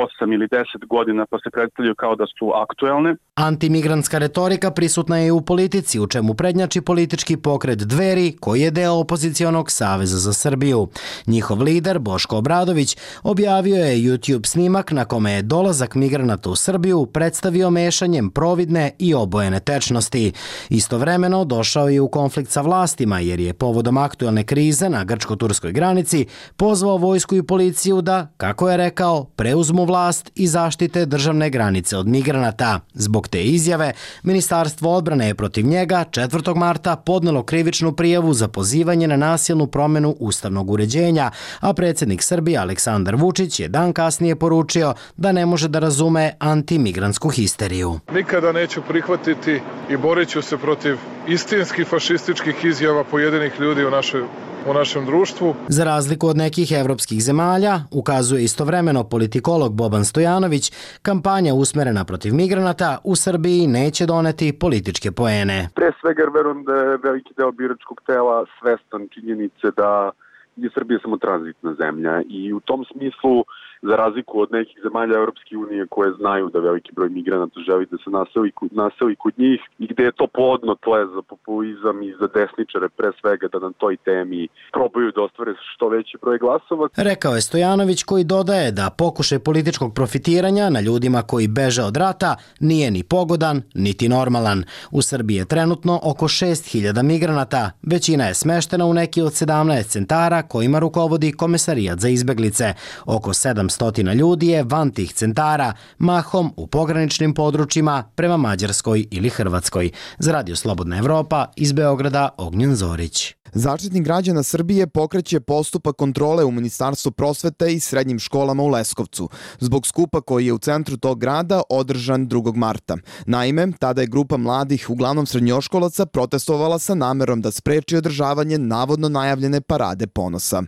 osam ili deset godina pa se predstavljaju kao da su aktuelne. Antimigrantska retorika prisutna je i u politici, u čemu prednjači politički pokret Dveri, koji je deo opozicionog Saveza za Srbiju. Njihov lider, Boško Obradović, objavio je YouTube snimak na kome je dolazak migranata u Srbiju predstavio mešanjem providne i obojene tečnosti. Istovremeno došao je u konflikt sa vlastima jer je povodom aktuelne krize na grčko-turskoj granici pozvao vojsku i policiju da, kako je rekao, preuzmu vlast i zaštite državne granice od migranata. Zbog te izjave, Ministarstvo odbrane je protiv njega četvrtog marta podnelo krivičnu prijavu za pozivanje na nasilnu promjenu ustavnog uređenja, a predsjednik Srbije Aleksandar Vučić je dan kasnije poručio da ne može da razume antimigrantsku histeriju. Nikada neću prihvatiti i borit ću se protiv istinskih fašističkih izjava pojedinih ljudi u našoj u našem društvu. Za razliku od nekih evropskih zemalja, ukazuje istovremeno politikolog Boban Stojanović, kampanja usmerena protiv migranata u Srbiji neće doneti političke poene. Pre svega verujem da je veliki deo biračkog tela svestan činjenice da je Srbija samo tranzitna zemlja i u tom smislu, za razliku od nekih zemalja Europske unije koje znaju da veliki broj migranata želi da se naseli, naseli kod njih i gde je to plodno tle za populizam i za desničare pre svega da na toj temi probaju da ostvare što veći broj glasova. Rekao je Stojanović, koji dodaje da pokušaj političkog profitiranja na ljudima koji beže od rata nije ni pogodan, niti normalan. U Srbiji je trenutno oko šest hiljada migranata. Većina je smeštena u neki od sedamnaest centara kojima rukovodi Komesarijat za izbeglice. Oko sedamsto ljudi je van tih centara, mahom u pograničnim područjima prema Mađarskoj ili Hrvatskoj. Za Radio Slobodna Evropa iz Beograda Ognjen Zorić. Zaštitnik građana Srbije pokreće postupak kontrole u Ministarstvu prosvete i srednjim školama u Leskovcu, zbog skupa koji je u centru tog grada održan drugog marta. Naime, tada je grupa mladih, uglavnom srednjoškolaca, protestovala sa namerom da spreči održavanje navodno najavljene parade ponosa.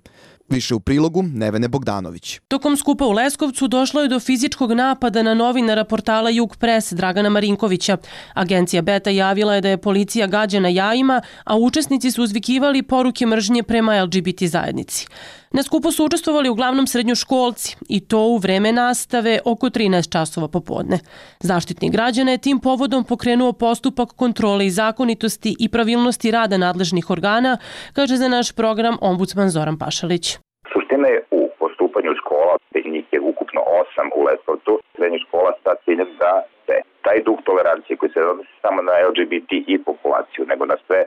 Više u prilogu Nevene Bogdanović. Tokom skupa u Leskovcu došlo je do fizičkog napada na novinara portala Jug Pres Dragana Marinkovića. Agencija Beta javila je da je policija gađana jajima, a učesnici su uzvikivali poruke mržnje prema L G B T zajednici. Na skupu su učestvovali uglavnom srednjoškolci i to u vreme nastave oko trinaest časova popodne. Zaštitnik građana je tim povodom pokrenuo postupak kontrole i zakonitosti i pravilnosti rada nadležnih organa, kaže za naš program ombudsman Zoran Pašalić. Suština je u postupanju škola, njih je ukupno osam u Leskovcu, srednjih škola sa ciljem da se taj duh tolerancije koji se odnosi samo na L G B T i populaciju, nego na sve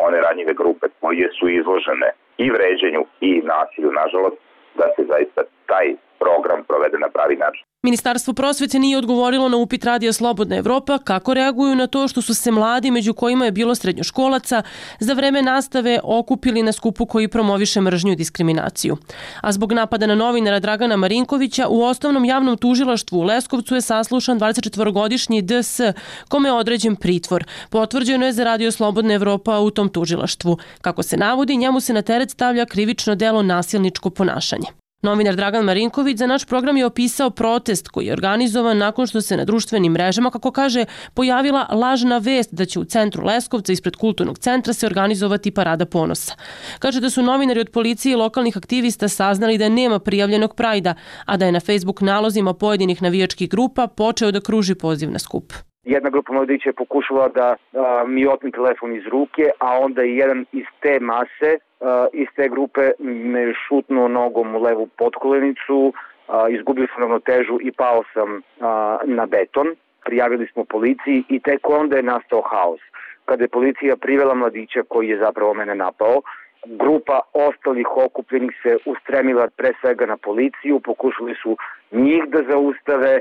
one ranjive grupe koje su izložene i vređenju i nasilju, nažalost, da se zaista taj program provede na pravi način. Ministarstvo prosvete nije odgovorilo na upit Radija Slobodna Evropa kako reaguju na to što su se mladi, među kojima je bilo srednjoškolaca, za vreme nastave okupili na skupu koji promoviše mržnju i diskriminaciju. A zbog napada na novinara Dragana Marinkovića u osnovnom javnom tužilaštvu u Leskovcu je saslušan dvadesetčetvorogodišnji D S, kome je određen pritvor. Potvrđeno je za Radio Slobodna Evropa u tom tužilaštvu. Kako se navodi, njemu se na teret stavlja krivično delo nasilničko ponašanje. Novinar Dragan Marinković za naš program je opisao protest koji je organizovan nakon što se na društvenim mrežama, kako kaže, pojavila lažna vest da će u centru Leskovca ispred kulturnog centra se organizovati parada ponosa. Kaže da su novinari od policije i lokalnih aktivista saznali da nema prijavljenog prajda, a da je na Facebook nalozima pojedinih navijačkih grupa počeo da kruži poziv na skup. Jedna grupa mladića je pokušala da a, mi otme telefon iz ruke, a onda i jedan iz te mase, a, iz te grupe me šutnuo nogom u levu potkolenicu, a, izgubio sam ravnotežu i pao sam a, na beton. Prijavili smo policiji i tek onda je nastao haos. Kada je policija privela mladića koji je zapravo mene napao, grupa ostalih okupljenih se ustremila pre svega na policiju, pokušali su njih da zaustave,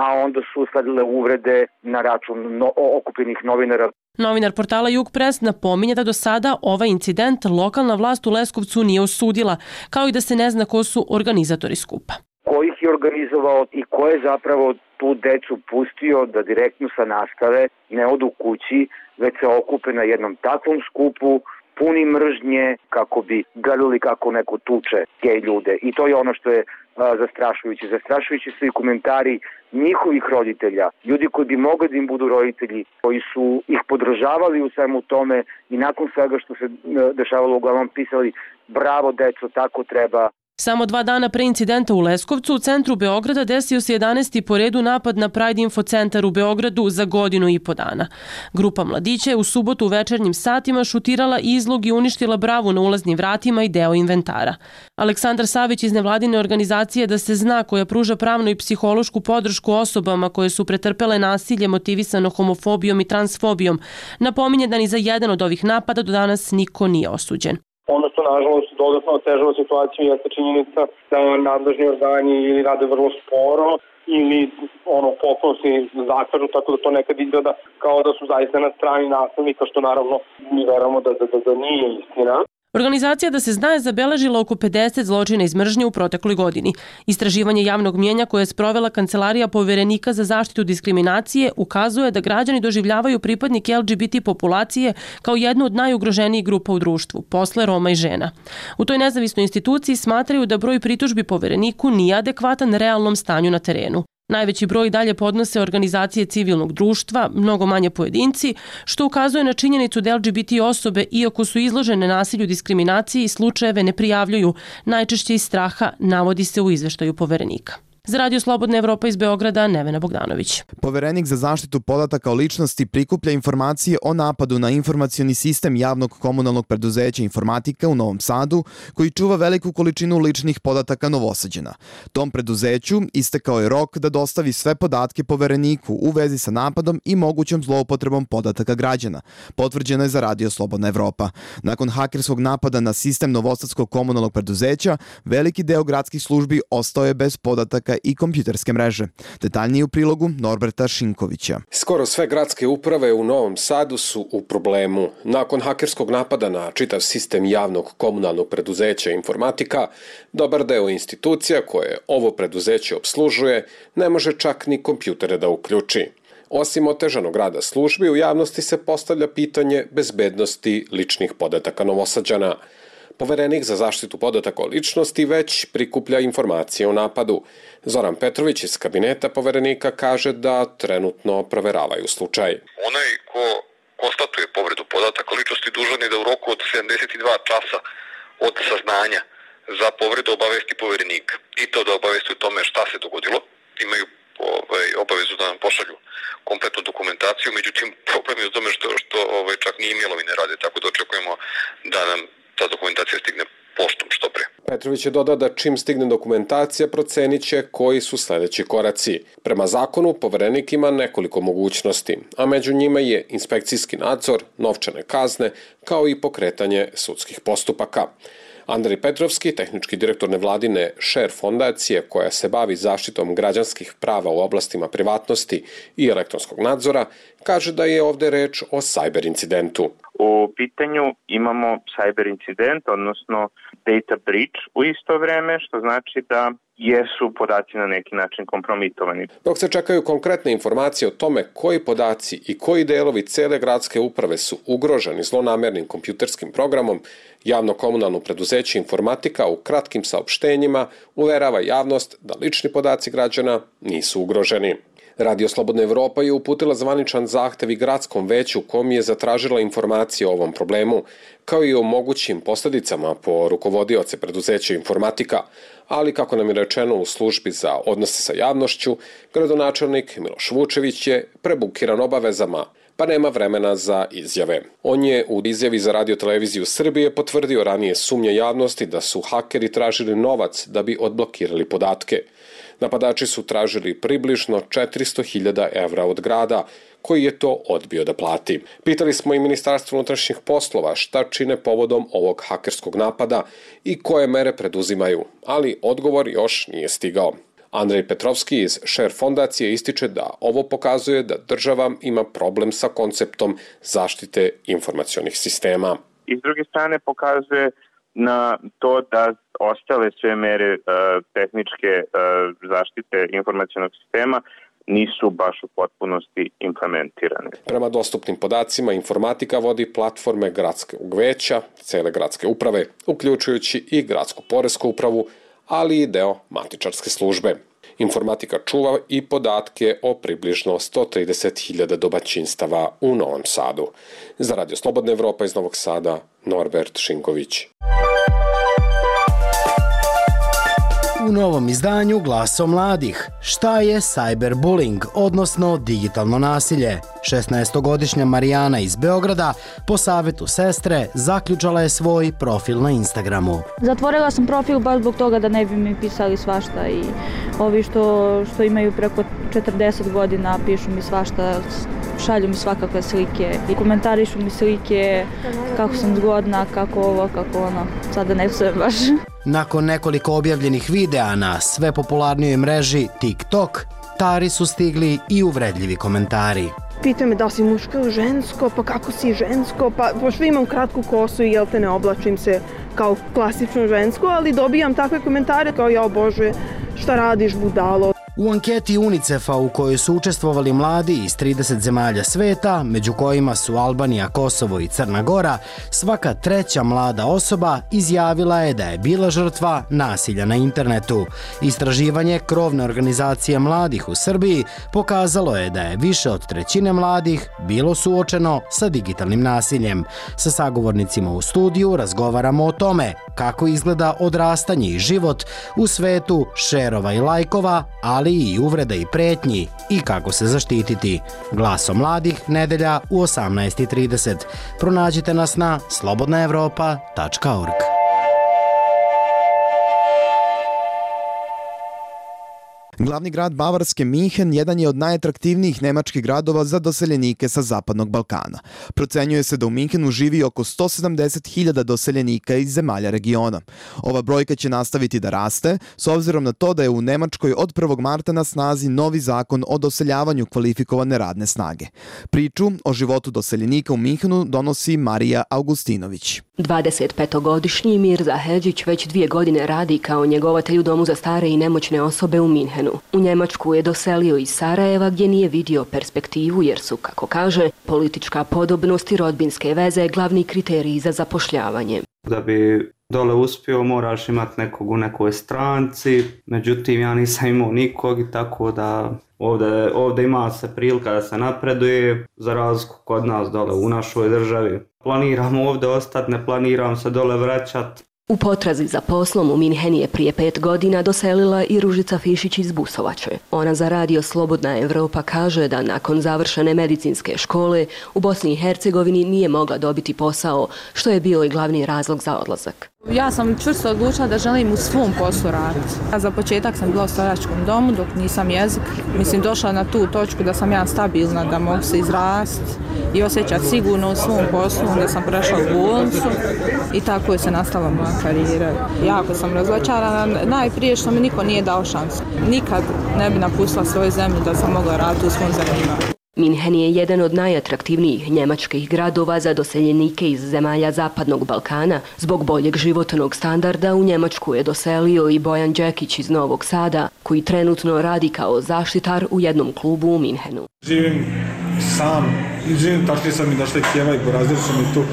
a onda su sledile uvrede na račun no, okupljenih novinara. Novinar portala Jug Press napominje da do sada ovaj incident lokalna vlast u Leskovcu nije osudila, kao i da se ne zna ko su organizatori skupa. Ko ih je organizovao i ko je zapravo tu decu pustio da direktno sa nastave ne odu kući, već se okupe na jednom takvom skupu, puni mržnje kako bi gledali kako neko tuče gej ljude. I to je ono što je a, zastrašujuće. Zastrašujući su i komentari njihovih roditelja, ljudi koji bi mogli da im budu roditelji, koji su ih podržavali u svemu tome i nakon svega što se dešavalo uglavnom pisali bravo deco, tako treba. Samo dva dana pre incidenta u Leskovcu, u centru Beograda, desio se jedanaesti po redu napad na Pride Info centar u Beogradu za godinu i po dana. Grupa mladića je u subotu u večernjim satima šutirala izlog i uništila bravu na ulaznim vratima i deo inventara. Aleksandar Savić iz nevladine organizacije Da se zna, koja pruža pravnu i psihološku podršku osobama koje su pretrpele nasilje motivisano homofobijom i transfobijom, napominje da ni za jedan od ovih napada do danas niko nije osuđen. Ono što nažalost dodatno otežava situaciju jeste činjenica da nadležni organi ili rade vrlo sporo ili ono potpuno se zakažu, tako da to nekad izgleda kao da su zaista na strani nasilnika, što naravno mi verujemo da, da, da, da nije istina. Organizacija Da se zna je zabeležila oko pedeset zločina iz mržnje u protekloj godini. Istraživanje javnog mnjenja koje je sprovela Kancelarija Poverenika za zaštitu diskriminacije ukazuje da građani doživljavaju pripadnike L G B T populacije kao jednu od najugroženijih grupa u društvu, posle Roma i žena. U toj nezavisnoj instituciji smatraju da broj pritužbi Povereniku nije adekvatan realnom stanju na terenu. Najveći broj dalje podnose organizacije civilnog društva, mnogo manje pojedinci, što ukazuje na činjenicu da L G B T osobe, iako su izložene nasilju, diskriminaciji, slučajeve ne prijavljuju, najčešće iz straha, navodi se u izveštaju Poverenika. Za Radio Slobodna Evropa iz Beograda, Nevena Bogdanović. Poverenik za zaštitu podataka o ličnosti prikuplja informacije o napadu na informacioni sistem javnog komunalnog preduzeća Informatika u Novom Sadu, koji čuva veliku količinu ličnih podataka Novosađana. Tom preduzeću istekao je rok da dostavi sve podatke Povereniku u vezi sa napadom i mogućom zloupotrebom podataka građana. Potvrđeno je za Radio Slobodna Evropa. Nakon hakerskog napada na sistem Novosadskog komunalnog preduzeća, veliki deo gradskih službi ostao je bez podataka i kompjuterske mreže. Detaljnije u prilogu Norberta Šinkovića. Skoro sve gradske uprave u Novom Sadu su u problemu. Nakon hakerskog napada na čitav sistem javnog komunalnog preduzeća Informatika, dobar deo institucija koje ovo preduzeće obslužuje ne može čak ni kompjutere da uključi. Osim otežanog rada službi, u javnosti se postavlja pitanje bezbednosti ličnih podataka Novosađana. Poverenik za zaštitu podataka o ličnosti već prikuplja informacije o napadu. Zoran Petrović iz kabineta Poverenika kaže da trenutno proveravaju slučaj. Onaj ko konstatuje povredu podataka o ličnosti dužan je da u roku od sedamdeset dva časa od saznanja za povredu obavesti Poverenika. I to da obavesti o tome šta se dogodilo. Imaju ovaj, obavezu da nam pošalju kompletnu dokumentaciju, međutim problem je u tome što, što ovaj, čak ni e-mailovi ne rade, tako da očekujemo da nam ta dokumentacija stigne poštom što pre. Petrović je dodao da čim stigne dokumentacija procenit će koji su sledeći koraci. Prema zakonu, Poverenik ima nekoliko mogućnosti, a među njima je inspekcijski nadzor, novčane kazne, kao i pokretanje sudskih postupaka. Andrej Petrovski, tehnički direktor nevladine Share fondacije koja se bavi zaštitom građanskih prava u oblastima privatnosti i elektronskog nadzora, kaže da je ovde reč o cyber incidentu. U pitanju imamo cyber incident, odnosno data breach u isto vreme, što znači da jesu podaci na neki način kompromitovani. Dok se čekaju konkretne informacije o tome koji podaci i koji delovi cele gradske uprave su ugroženi zlonamernim kompjuterskim programom, javno komunalno preduzeće Informatika u kratkim saopštenjima uverava javnost da lični podaci građana nisu ugroženi. Radio Slobodna Evropa je uputila zvaničan zahtev i gradskom veću kom je zatražila informacije o ovom problemu, kao i o mogućim posledicama po rukovodioce preduzeća Informatika, ali kako nam je rečeno u službi za odnose sa javnošću, gradonačelnik Miloš Vučević je prebukiran obavezama, pa nema vremena za izjave. On je u izjavi za Radio Televiziju Srbije potvrdio ranije sumnje javnosti da su hakeri tražili novac da bi odblokirali podatke. Napadači su tražili približno četiristo hiljada evra od grada, koji je to odbio da plati. Pitali smo i Ministarstvo unutrašnjih poslova šta čine povodom ovog hakerskog napada i koje mere preduzimaju, ali odgovor još nije stigao. Andrej Petrovski iz Share fondacije ističe da ovo pokazuje da država ima problem sa konceptom zaštite informacionih sistema. I s druge strane pokazuje na to da ostale sve mere e, tehničke e, zaštite informacionog sistema nisu baš u potpunosti implementirane. Prema dostupnim podacima, Informatika vodi platforme gradskog veća, cele gradske uprave, uključujući i gradsku poresku upravu, ali i deo matičarske službe. Informatika čuva i podatke o približno sto trideset hiljada domaćinstava u Novom Sadu. Za Radio Slobodna Evropa iz Novog Sada, Norbert Šinković. U novom izdanju Glaso mladih. Šta je cyberbullying, odnosno digitalno nasilje? šesnaestogodišnja Marijana iz Beograda po savetu sestre zaključala je svoj profil na Instagramu. Zatvorila sam profil baš zbog toga da ne bi mi pisali svašta i ovi što, što imaju preko četrdeset godina pišu mi svašta, šalju mi svakakve slike i komentarišu mi slike kako sam zgodna, kako ovo, kako ono. Sada ne psujem baš. Nakon nekoliko objavljenih videa na sve popularnijoj mreži TikTok, Tari su stigli i uvredljivi komentari. Pitaju me da si muško ili žensko, pa kako si žensko, pa pošto imam kratku kosu i jel te ne oblačim se kao klasično žensko, ali dobijam takve komentare kao ja bože, šta radiš budalo. U anketi UNICEF-a u kojoj su učestvovali mladi iz trideset zemalja sveta, među kojima su Albanija, Kosovo i Crna Gora, svaka treća mlada osoba izjavila je da je bila žrtva nasilja na internetu. Istraživanje krovne organizacije mladih u Srbiji pokazalo je da je više od trećine mladih bilo suočeno sa digitalnim nasiljem. Sa sagovornicima u studiju razgovaramo o tome kako izgleda odrastanje i život u svetu šerova i lajkova, ali i uvreda i pretnji i kako se zaštititi. Glaso mladih, nedelja u osamnaest i trideset. Pronađite nas na slobodna evropa tačka org. Glavni grad Bavarske Minhen jedan je od najatraktivnijih nemačkih gradova za doseljenike sa Zapadnog Balkana. Procenjuje se da u Minhenu živi oko sto sedamdeset hiljada doseljenika iz zemalja regiona. Ova brojka će nastaviti da raste, s obzirom na to da je u Nemačkoj od prvog marta na snazi novi zakon o doseljavanju kvalifikovane radne snage. Priču o životu doseljenika u Minhenu donosi Marija Augustinović. dvadesetpetogodišnji Mirza Hedžić već dvije godine radi kao njegovatelj u domu za stare i nemoćne osobe u Minhenu. U Njemačku je doselio iz Sarajeva gdje nije vidio perspektivu jer su, kako kaže, politička podobnost i rodbinske veze glavni kriteriji za zapošljavanje. Da bi dole uspio moraš imati nekog u nekoj stranci, međutim ja nisam imao nikog i tako da ovdje, ovdje ima se prilika da se napreduje za razliku kod nas dole u našoj državi. Planiram ovdje ostati, ne planiram se dole vraćati. U potrazi za poslom u Minhen je prije pet godina doselila i Ružica Fišić iz Busovače. Ona za Radio Slobodna Evropa kaže da nakon završene medicinske škole u Bosni i Hercegovini nije mogla dobiti posao, što je bio i glavni razlog za odlazak. Ja sam čvrsto odlučila da želim u svom poslu raditi. Za početak sam bila u staračkom domu dok nisam jezik. Mislim, došla na tu točku da sam ja stabilna, da mogu se izrasti i osjećati sigurno u svom poslu. Onda sam prešla u bolnicu i tako je se nastavila moja karijera. Jako sam razočarana, najprije što mi niko nije dao šansu. Nikad ne bi napustila svoju zemlju da sam mogla raditi u svom zanimanju. Minhen je jedan od najatraktivnijih njemačkih gradova za doseljenike iz zemalja Zapadnog Balkana. Zbog boljeg životnog standarda u Njemačku je doselio i Bojan Đekić iz Novog Sada, koji trenutno radi kao zaštitar u jednom klubu u Minhenu. Živim sam, živim tašli sam i došli kjeva i porazili su mi tu.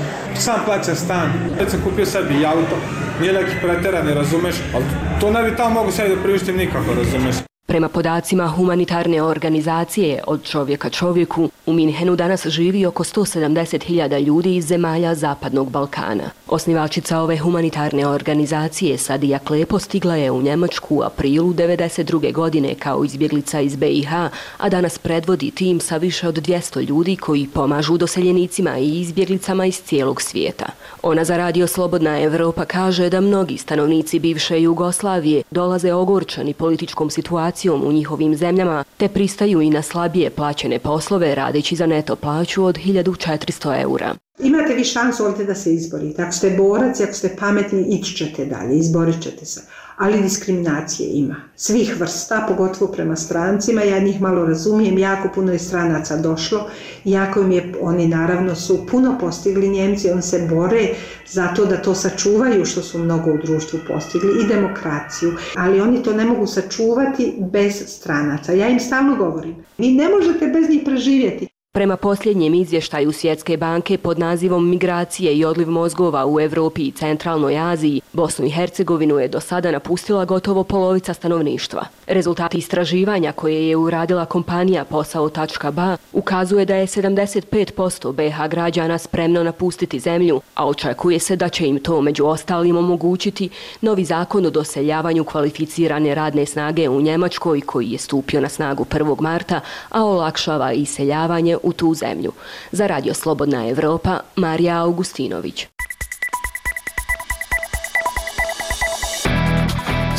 Sam plaćam stan, već sam kupio sebi i auto, nije neki preteran, ne razumeš, ali to ne bi tamo mogu sebi da priuštim nikako, razumeš. Prema podacima humanitarne organizacije Od čovjeka čovjeku, u Minhenu danas živi oko sto sedamdeset hiljada ljudi iz zemalja Zapadnog Balkana. Osnivačica ove humanitarne organizacije Sadija Klepo stigla je u Njemačku u aprilu devedeset druge godine kao izbjeglica iz B i H, a danas predvodi tim sa više od dvjesto ljudi koji pomažu doseljenicima i izbjeglicama iz cijelog svijeta. Ona za radio Slobodna Evropa kaže da mnogi stanovnici bivše Jugoslavije dolaze ogorčani političkom situacijom u njihovim zemljama, te pristaju i na slabije plaćene poslove radeći za neto plaću od hiljadu četiristo eura. Imate vi šansu ovdje da se izborite. Ako ste borac i ako ste pametni, ići ćete dalje, izborit ćete se. Ali diskriminacije ima. Svih vrsta, pogotovo prema strancima. Ja njih malo razumijem, jako puno je stranaca došlo. Jako im je, oni naravno su puno postigli Njemci, oni se bore zato da to sačuvaju što su mnogo u društvu postigli i demokraciju. Ali oni to ne mogu sačuvati bez stranaca. Ja im stalno govorim, vi ne možete bez njih preživjeti. Prema posljednjem izvještaju Svjetske banke pod nazivom Migracije i odliv mozgova u Evropi i Centralnoj Aziji, Bosnu i Hercegovinu je do sada napustila gotovo polovica stanovništva. Rezultati istraživanja koje je uradila kompanija Posao točka ba ukazuje da je sedamdeset pet posto B H građana spremno napustiti zemlju, a očekuje se da će im to među ostalim omogućiti novi zakon o doseljavanju kvalificirane radne snage u Njemačkoj koji je stupio na snagu prvog marta, a olakšava iseljavanje u tu zemlju. Za radio Slobodna Evropa, Marija Augustinović.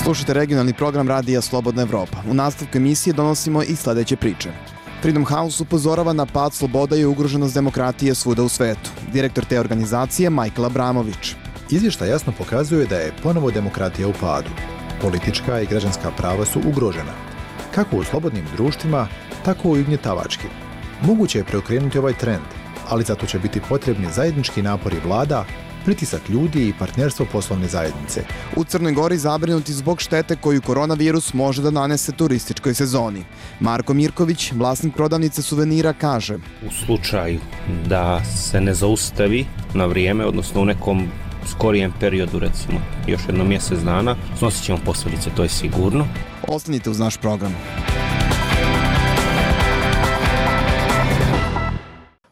Slušajte regionalni program radija Slobodna Evropa. U nastavku emisije donosimo i sledeće priče. Freedom House upozorava na pad sloboda i ugroženost demokratije svuda u svetu. Direktor te organizacije Michael Abramović. Izvještaj jasno pokazuje da je ponovo demokratija u padu. Politička i građanska prava su ugrožena. Kako u slobodnim društvima, tako i ugnjetavačkim. Moguće je preokrenuti ovaj trend, ali zato će biti potrebni zajednički napori vlada, pritisak ljudi i partnerstvo poslovne zajednice. U Crnoj Gori zabrinuti zbog štete koju koronavirus može da nanese turističkoj sezoni. Marko Mirković, vlasnik prodavnice suvenira, kaže: U slučaju da se ne zaustavi na vrijeme, odnosno u nekom skorijem periodu, recimo još jedno mjesec dana, snosit ćemo posljedice, to je sigurno. Ostanite uz naš program.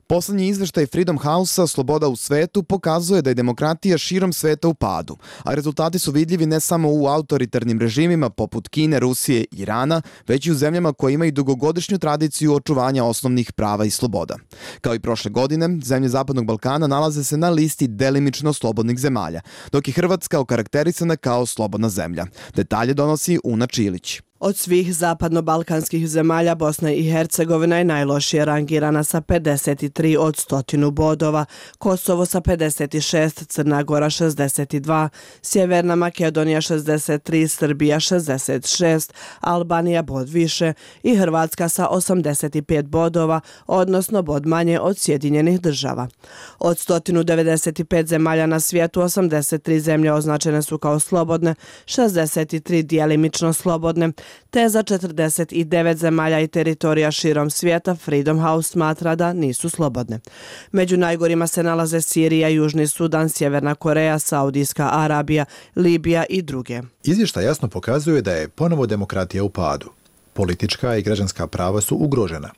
Poslednji izveštaj Freedom House-a Sloboda u svetu pokazuje da je demokratija širom sveta u padu, a rezultati su vidljivi ne samo u autoritarnim režimima poput Kine, Rusije i Irana, već i u zemljama koje imaju dugogodišnju tradiciju očuvanja osnovnih prava i sloboda. Kao i prošle godine, zemlje Zapadnog Balkana nalaze se na listi delimično slobodnih zemalja, dok je Hrvatska okarakterisana kao slobodna zemlja. Detalje donosi Una Čilić. Od svih zapadno-balkanskih zemalja Bosna i Hercegovina je najlošije rangirana sa pedeset tri od stotinu bodova, Kosovo sa pedeset šest, Crna Gora šezdeset dva, Sjeverna Makedonija šezdeset tri, Srbija šezdeset šest, Albanija bod više i Hrvatska sa osamdeset pet bodova, odnosno bod manje od Sjedinjenih država. Od stotinu devedeset pet zemalja na svijetu, osamdeset tri zemlje označene su kao slobodne, šezdeset tri djelimično slobodne, te za četrdeset devet zemalja i teritorija širom svijeta Freedom House smatra da nisu slobodne. Među najgorima se nalaze Sirija, Južni Sudan, Sjeverna Koreja, Saudijska Arabija, Libija i druge. Izvještaj jasno pokazuje da je ponovo demokratija u padu. Politička i građanska prava su ugrožena.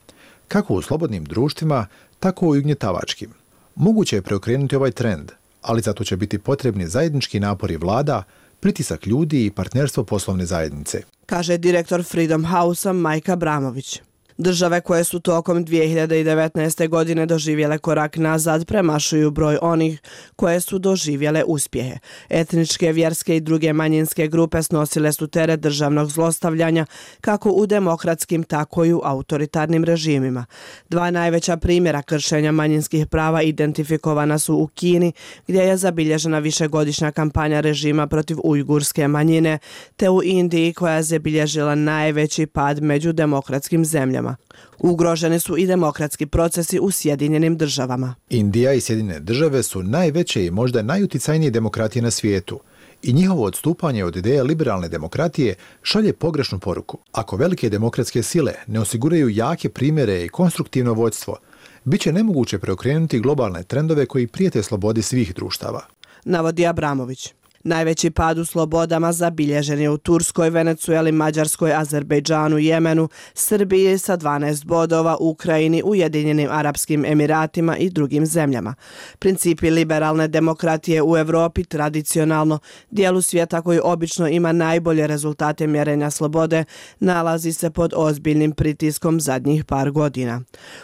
Kako u slobodnim društvima, tako i ugnjetavačkim. Moguće je preokrenuti ovaj trend, ali zato će biti potrebni zajednički napori vlada, pritisak ljudi i partnerstvo poslovne zajednice, kaže direktor Freedom House-a Mike Abramović. Države koje su tokom dvije hiljade devetnaeste. godine doživjele korak nazad premašuju broj onih koje su doživjele uspjehe. Etničke, vjerske i druge manjinske grupe snosile su teret državnog zlostavljanja kako u demokratskim, tako i u autoritarnim režimima. Dva najveća primjera kršenja manjinskih prava identifikovana su u Kini, gdje je zabilježena višegodišnja kampanja režima protiv ujgurske manjine, te u Indiji koja je zabilježila najveći pad među demokratskim zemljama. zemljama. Ugroženi su i demokratski procesi u Sjedinjenim državama. Indija i Sjedinjene države su najveće i možda najuticajnije demokratije na svijetu. I njihovo odstupanje od ideje liberalne demokratije šalje pogrešnu poruku. Ako velike demokratske sile ne osiguraju jake primjere i konstruktivno vođstvo, bit će nemoguće preokrenuti globalne trendove koji prijete slobodi svih društava. Navodi Abramović. Najveći pad u slobodama zabilježen je u Turskoj, Venecueli, Mađarskoj, Azerbejdžanu, Jemenu, Srbiji sa dvanaest bodova, Ukrajini, Ujedinjenim Arapskim Emiratima i drugim zemljama. Principi liberalne demokratije u Evropi tradicionalno, dijelu svijeta koji obično ima najbolje rezultate mjerenja slobode, nalazi se pod ozbiljnim pritiskom zadnjih par godina.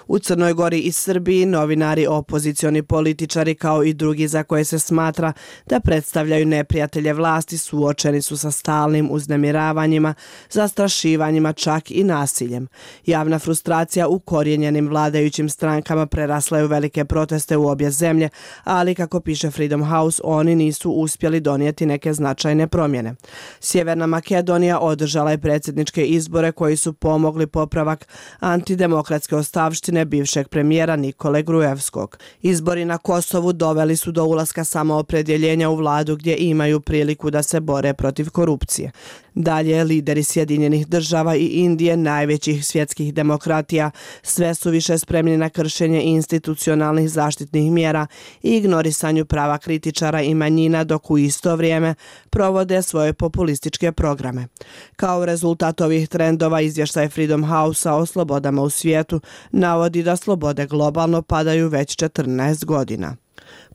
U Crnoj Gori i Srbiji novinari, opozicioni političari kao i drugi za koje se smatra da predstavljaju ne prijatelje vlasti suočeni su sa stalnim uznemiravanjima, zastrašivanjima, čak i nasiljem. Javna frustracija u korijenjenim vladajućim strankama prerasla je u velike proteste u obje zemlje, ali kako piše Freedom House, oni nisu uspjeli donijeti neke značajne promjene. Sjeverna Makedonija održala je predsjedničke izbore koji su pomogli popravak antidemokratske ostavštine bivšeg premijera Nikole Grujevskog. Izbori na Kosovu doveli su do ulaska samoopredjeljenja u vladu gdje ima imaju priliku da se bore protiv korupcije. Dalje, lideri Sjedinjenih država i Indije, najvećih svjetskih demokratija, sve su više spremni na kršenje institucionalnih zaštitnih mjera i ignorisanju prava kritičara i manjina, dok u isto vrijeme provode svoje populističke programe. Kao rezultat ovih trendova, izvještaj Freedom House-a o slobodama u svijetu navodi da slobode globalno padaju već četrnaest godina.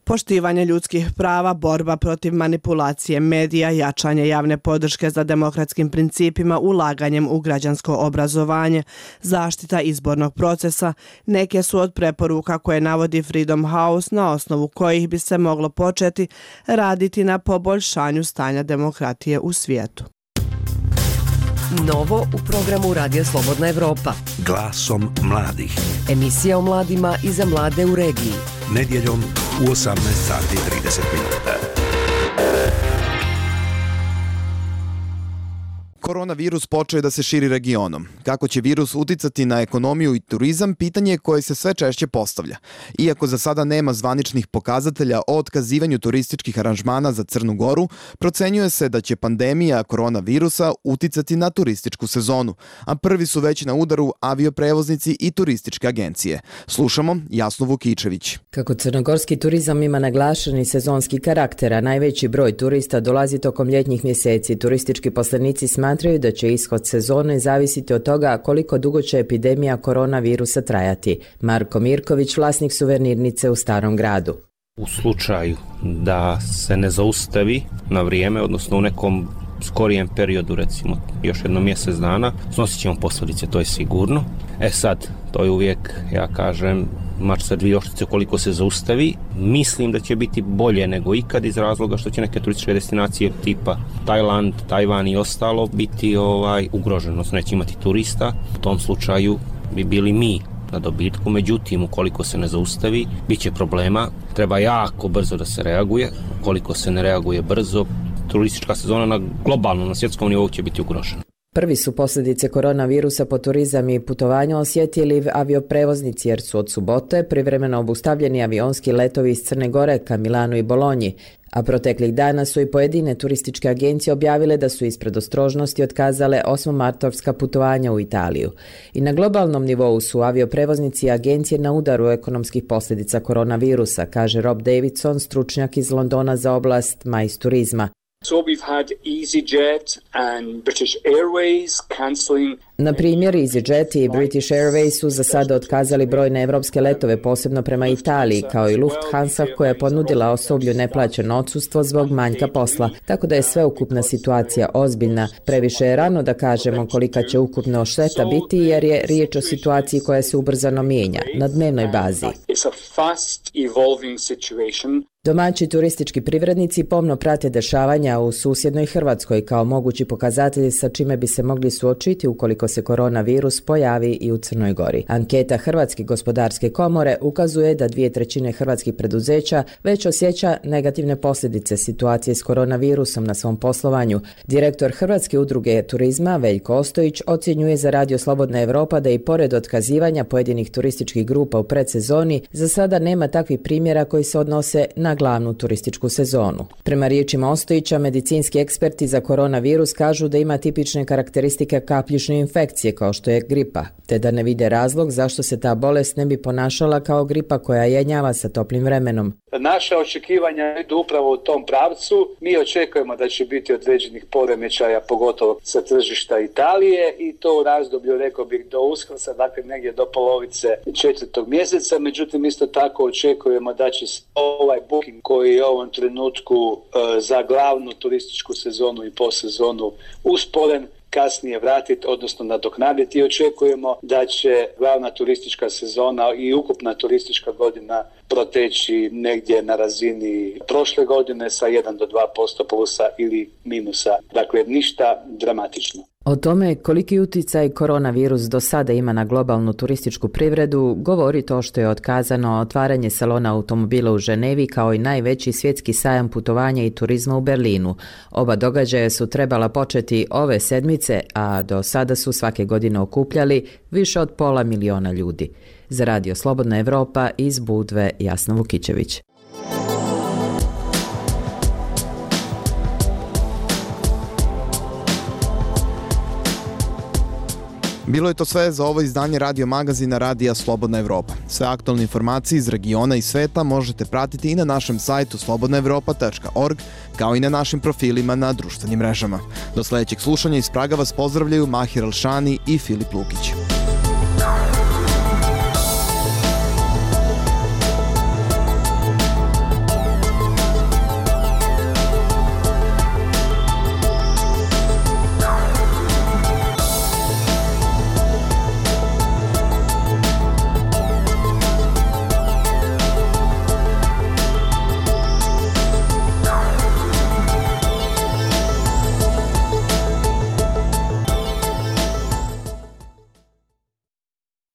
Poštivanje ljudskih prava, borba protiv manipulacije medija, jačanje javne podrške za demokratskim principima, ulaganjem u građansko obrazovanje, zaštita izbornog procesa, neke su od preporuka koje navodi Freedom House na osnovu kojih bi se moglo početi raditi na poboljšanju stanja demokratije u svijetu. Novo u programu Radio Slobodna Evropa. Glasom mladih. Emisija o mladima i za mlade u regiji. Nedjeljom u osamnaest sati i trideset minuta. Koronavirus počeo je da se širi regionom. Kako će virus uticati na ekonomiju i turizam, pitanje je koje se sve češće postavlja. Iako za sada nema zvaničnih pokazatelja o otkazivanju turističkih aranžmana za Crnu Goru, procenjuje se da će pandemija koronavirusa uticati na turističku sezonu, a prvi su već na udaru avioprevoznici i turističke agencije. Slušamo Jasnu Vukičević. Kako crnogorski turizam ima naglašeni sezonski karakter, a najveći broj turista dolazi tokom ljetnjih mjeseci, turistički poslenici smatraju da će ishod sezone zavisiti od toga koliko dugo će epidemija koronavirusa trajati. Marko Mirković, vlasnik suvenirnice u Starom gradu. U slučaju da se ne zaustavi na vrijeme, odnosno u nekom skorijem periodu, recimo još jedno mjesec dana, snosit ćemo posljedice, to je sigurno. E sad, to je uvijek, ja kažem, mač sa dvije oštrice koliko se zaustavi. Mislim da će biti bolje nego ikad iz razloga što će neke turističke destinacije tipa Tajland, Tajvan i ostalo biti ovaj ugroženo, odnosno neće imati turista. U tom slučaju bi bili mi na dobitku, međutim ukoliko se ne zaustavi, bit će problema. Treba jako brzo da se reaguje. Ukoliko se ne reaguje brzo, turistička sezona na globalnom, na svjetskom nivou će biti ugrožena. Prvi su posljedice koronavirusa po turizam i putovanja osjetili avioprevoznici jer su od subote privremeno obustavljeni avionski letovi iz Crne Gore ka Milanu i Bolonji, a proteklih dana su i pojedine turističke agencije objavile da su iz predostrožnosti otkazale osmomartovska putovanja u Italiju. I na globalnom nivou su avioprevoznici i agencije na udaru ekonomskih posljedica koronavirusa, kaže Rob Davidson, stručnjak iz Londona za oblast majs turizma. So we've had EasyJet and British Airways cancelling. Na primjer, EasyJet i British Airways su za sada otkazali brojne evropske letove, posebno prema Italiji, kao i Lufthansa koja je ponudila osoblju neplaćeno odsustvo zbog manjka posla. Tako da je sveukupna situacija ozbiljna. Previše je rano da kažemo kolika će ukupno šteta biti jer je riječ o situaciji koja se ubrzano mijenja na dnevnoj bazi. Domaći turistički privrednici pomno prate dešavanja u susjednoj Hrvatskoj kao mogući pokazatelji sa čime bi se mogli suočiti ukoliko se koronavirus pojavi i u Crnoj Gori. Anketa Hrvatske gospodarske komore ukazuje da dvije trećine hrvatskih preduzeća već osjeća negativne posljedice situacije s koronavirusom na svom poslovanju. Direktor Hrvatske udruge turizma Veljko Ostojić ocjenjuje za Radio Slobodna Evropa da i pored otkazivanja pojedinih turističkih grupa u predsezoni, za sada nema takvih primjera koji se odnose na glavnu turističku sezonu. Prema riječima Ostojića, medicinski eksperti za koronavirus kažu da ima tipične karakteristike kapljične infekcije kao što je gripa, te da ne vide razlog zašto se ta bolest ne bi ponašala kao gripa koja jenjava sa toplim vremenom. Naše očekivanja idu upravo u tom pravcu. Mi očekujemo da će biti određenih poremećaja, pogotovo sa tržišta Italije, i to u razdoblju, rekao bih, do Uskrsa, dakle negdje do polovice četvrtog mjeseca. Međutim, isto tako očekujemo da će ovaj booking koji je u ovom trenutku e, za glavnu turističku sezonu i posezonu usporen, kasnije vratiti, odnosno nadoknaditi, i očekujemo da će glavna turistička sezona i ukupna turistička godina proteći negdje na razini prošle godine sa jedan do dva posto plusa ili minusa. Dakle, ništa dramatično. O tome koliki utjecaj koronavirus do sada ima na globalnu turističku privredu govori to što je otkazano otvaranje salona automobila u Ženevi kao i najveći svjetski sajam putovanja i turizma u Berlinu. Oba događaja su trebala početi ove sedmice, a do sada su svake godine okupljali više od pola miliona ljudi. Za Radio Slobodna Evropa iz Budve, Jasna Vukićević. Bilo je to sve za ovo izdanje radio magazina Radija Slobodna Evropa. Sve aktualne informacije iz regiona i sveta možete pratiti i na našem sajtu slobodna evropa tačka org, kao i na našim profilima na društvenim mrežama. Do sljedećeg slušanja iz Praga vas pozdravljaju Mahir Alšani i Filip Lukić.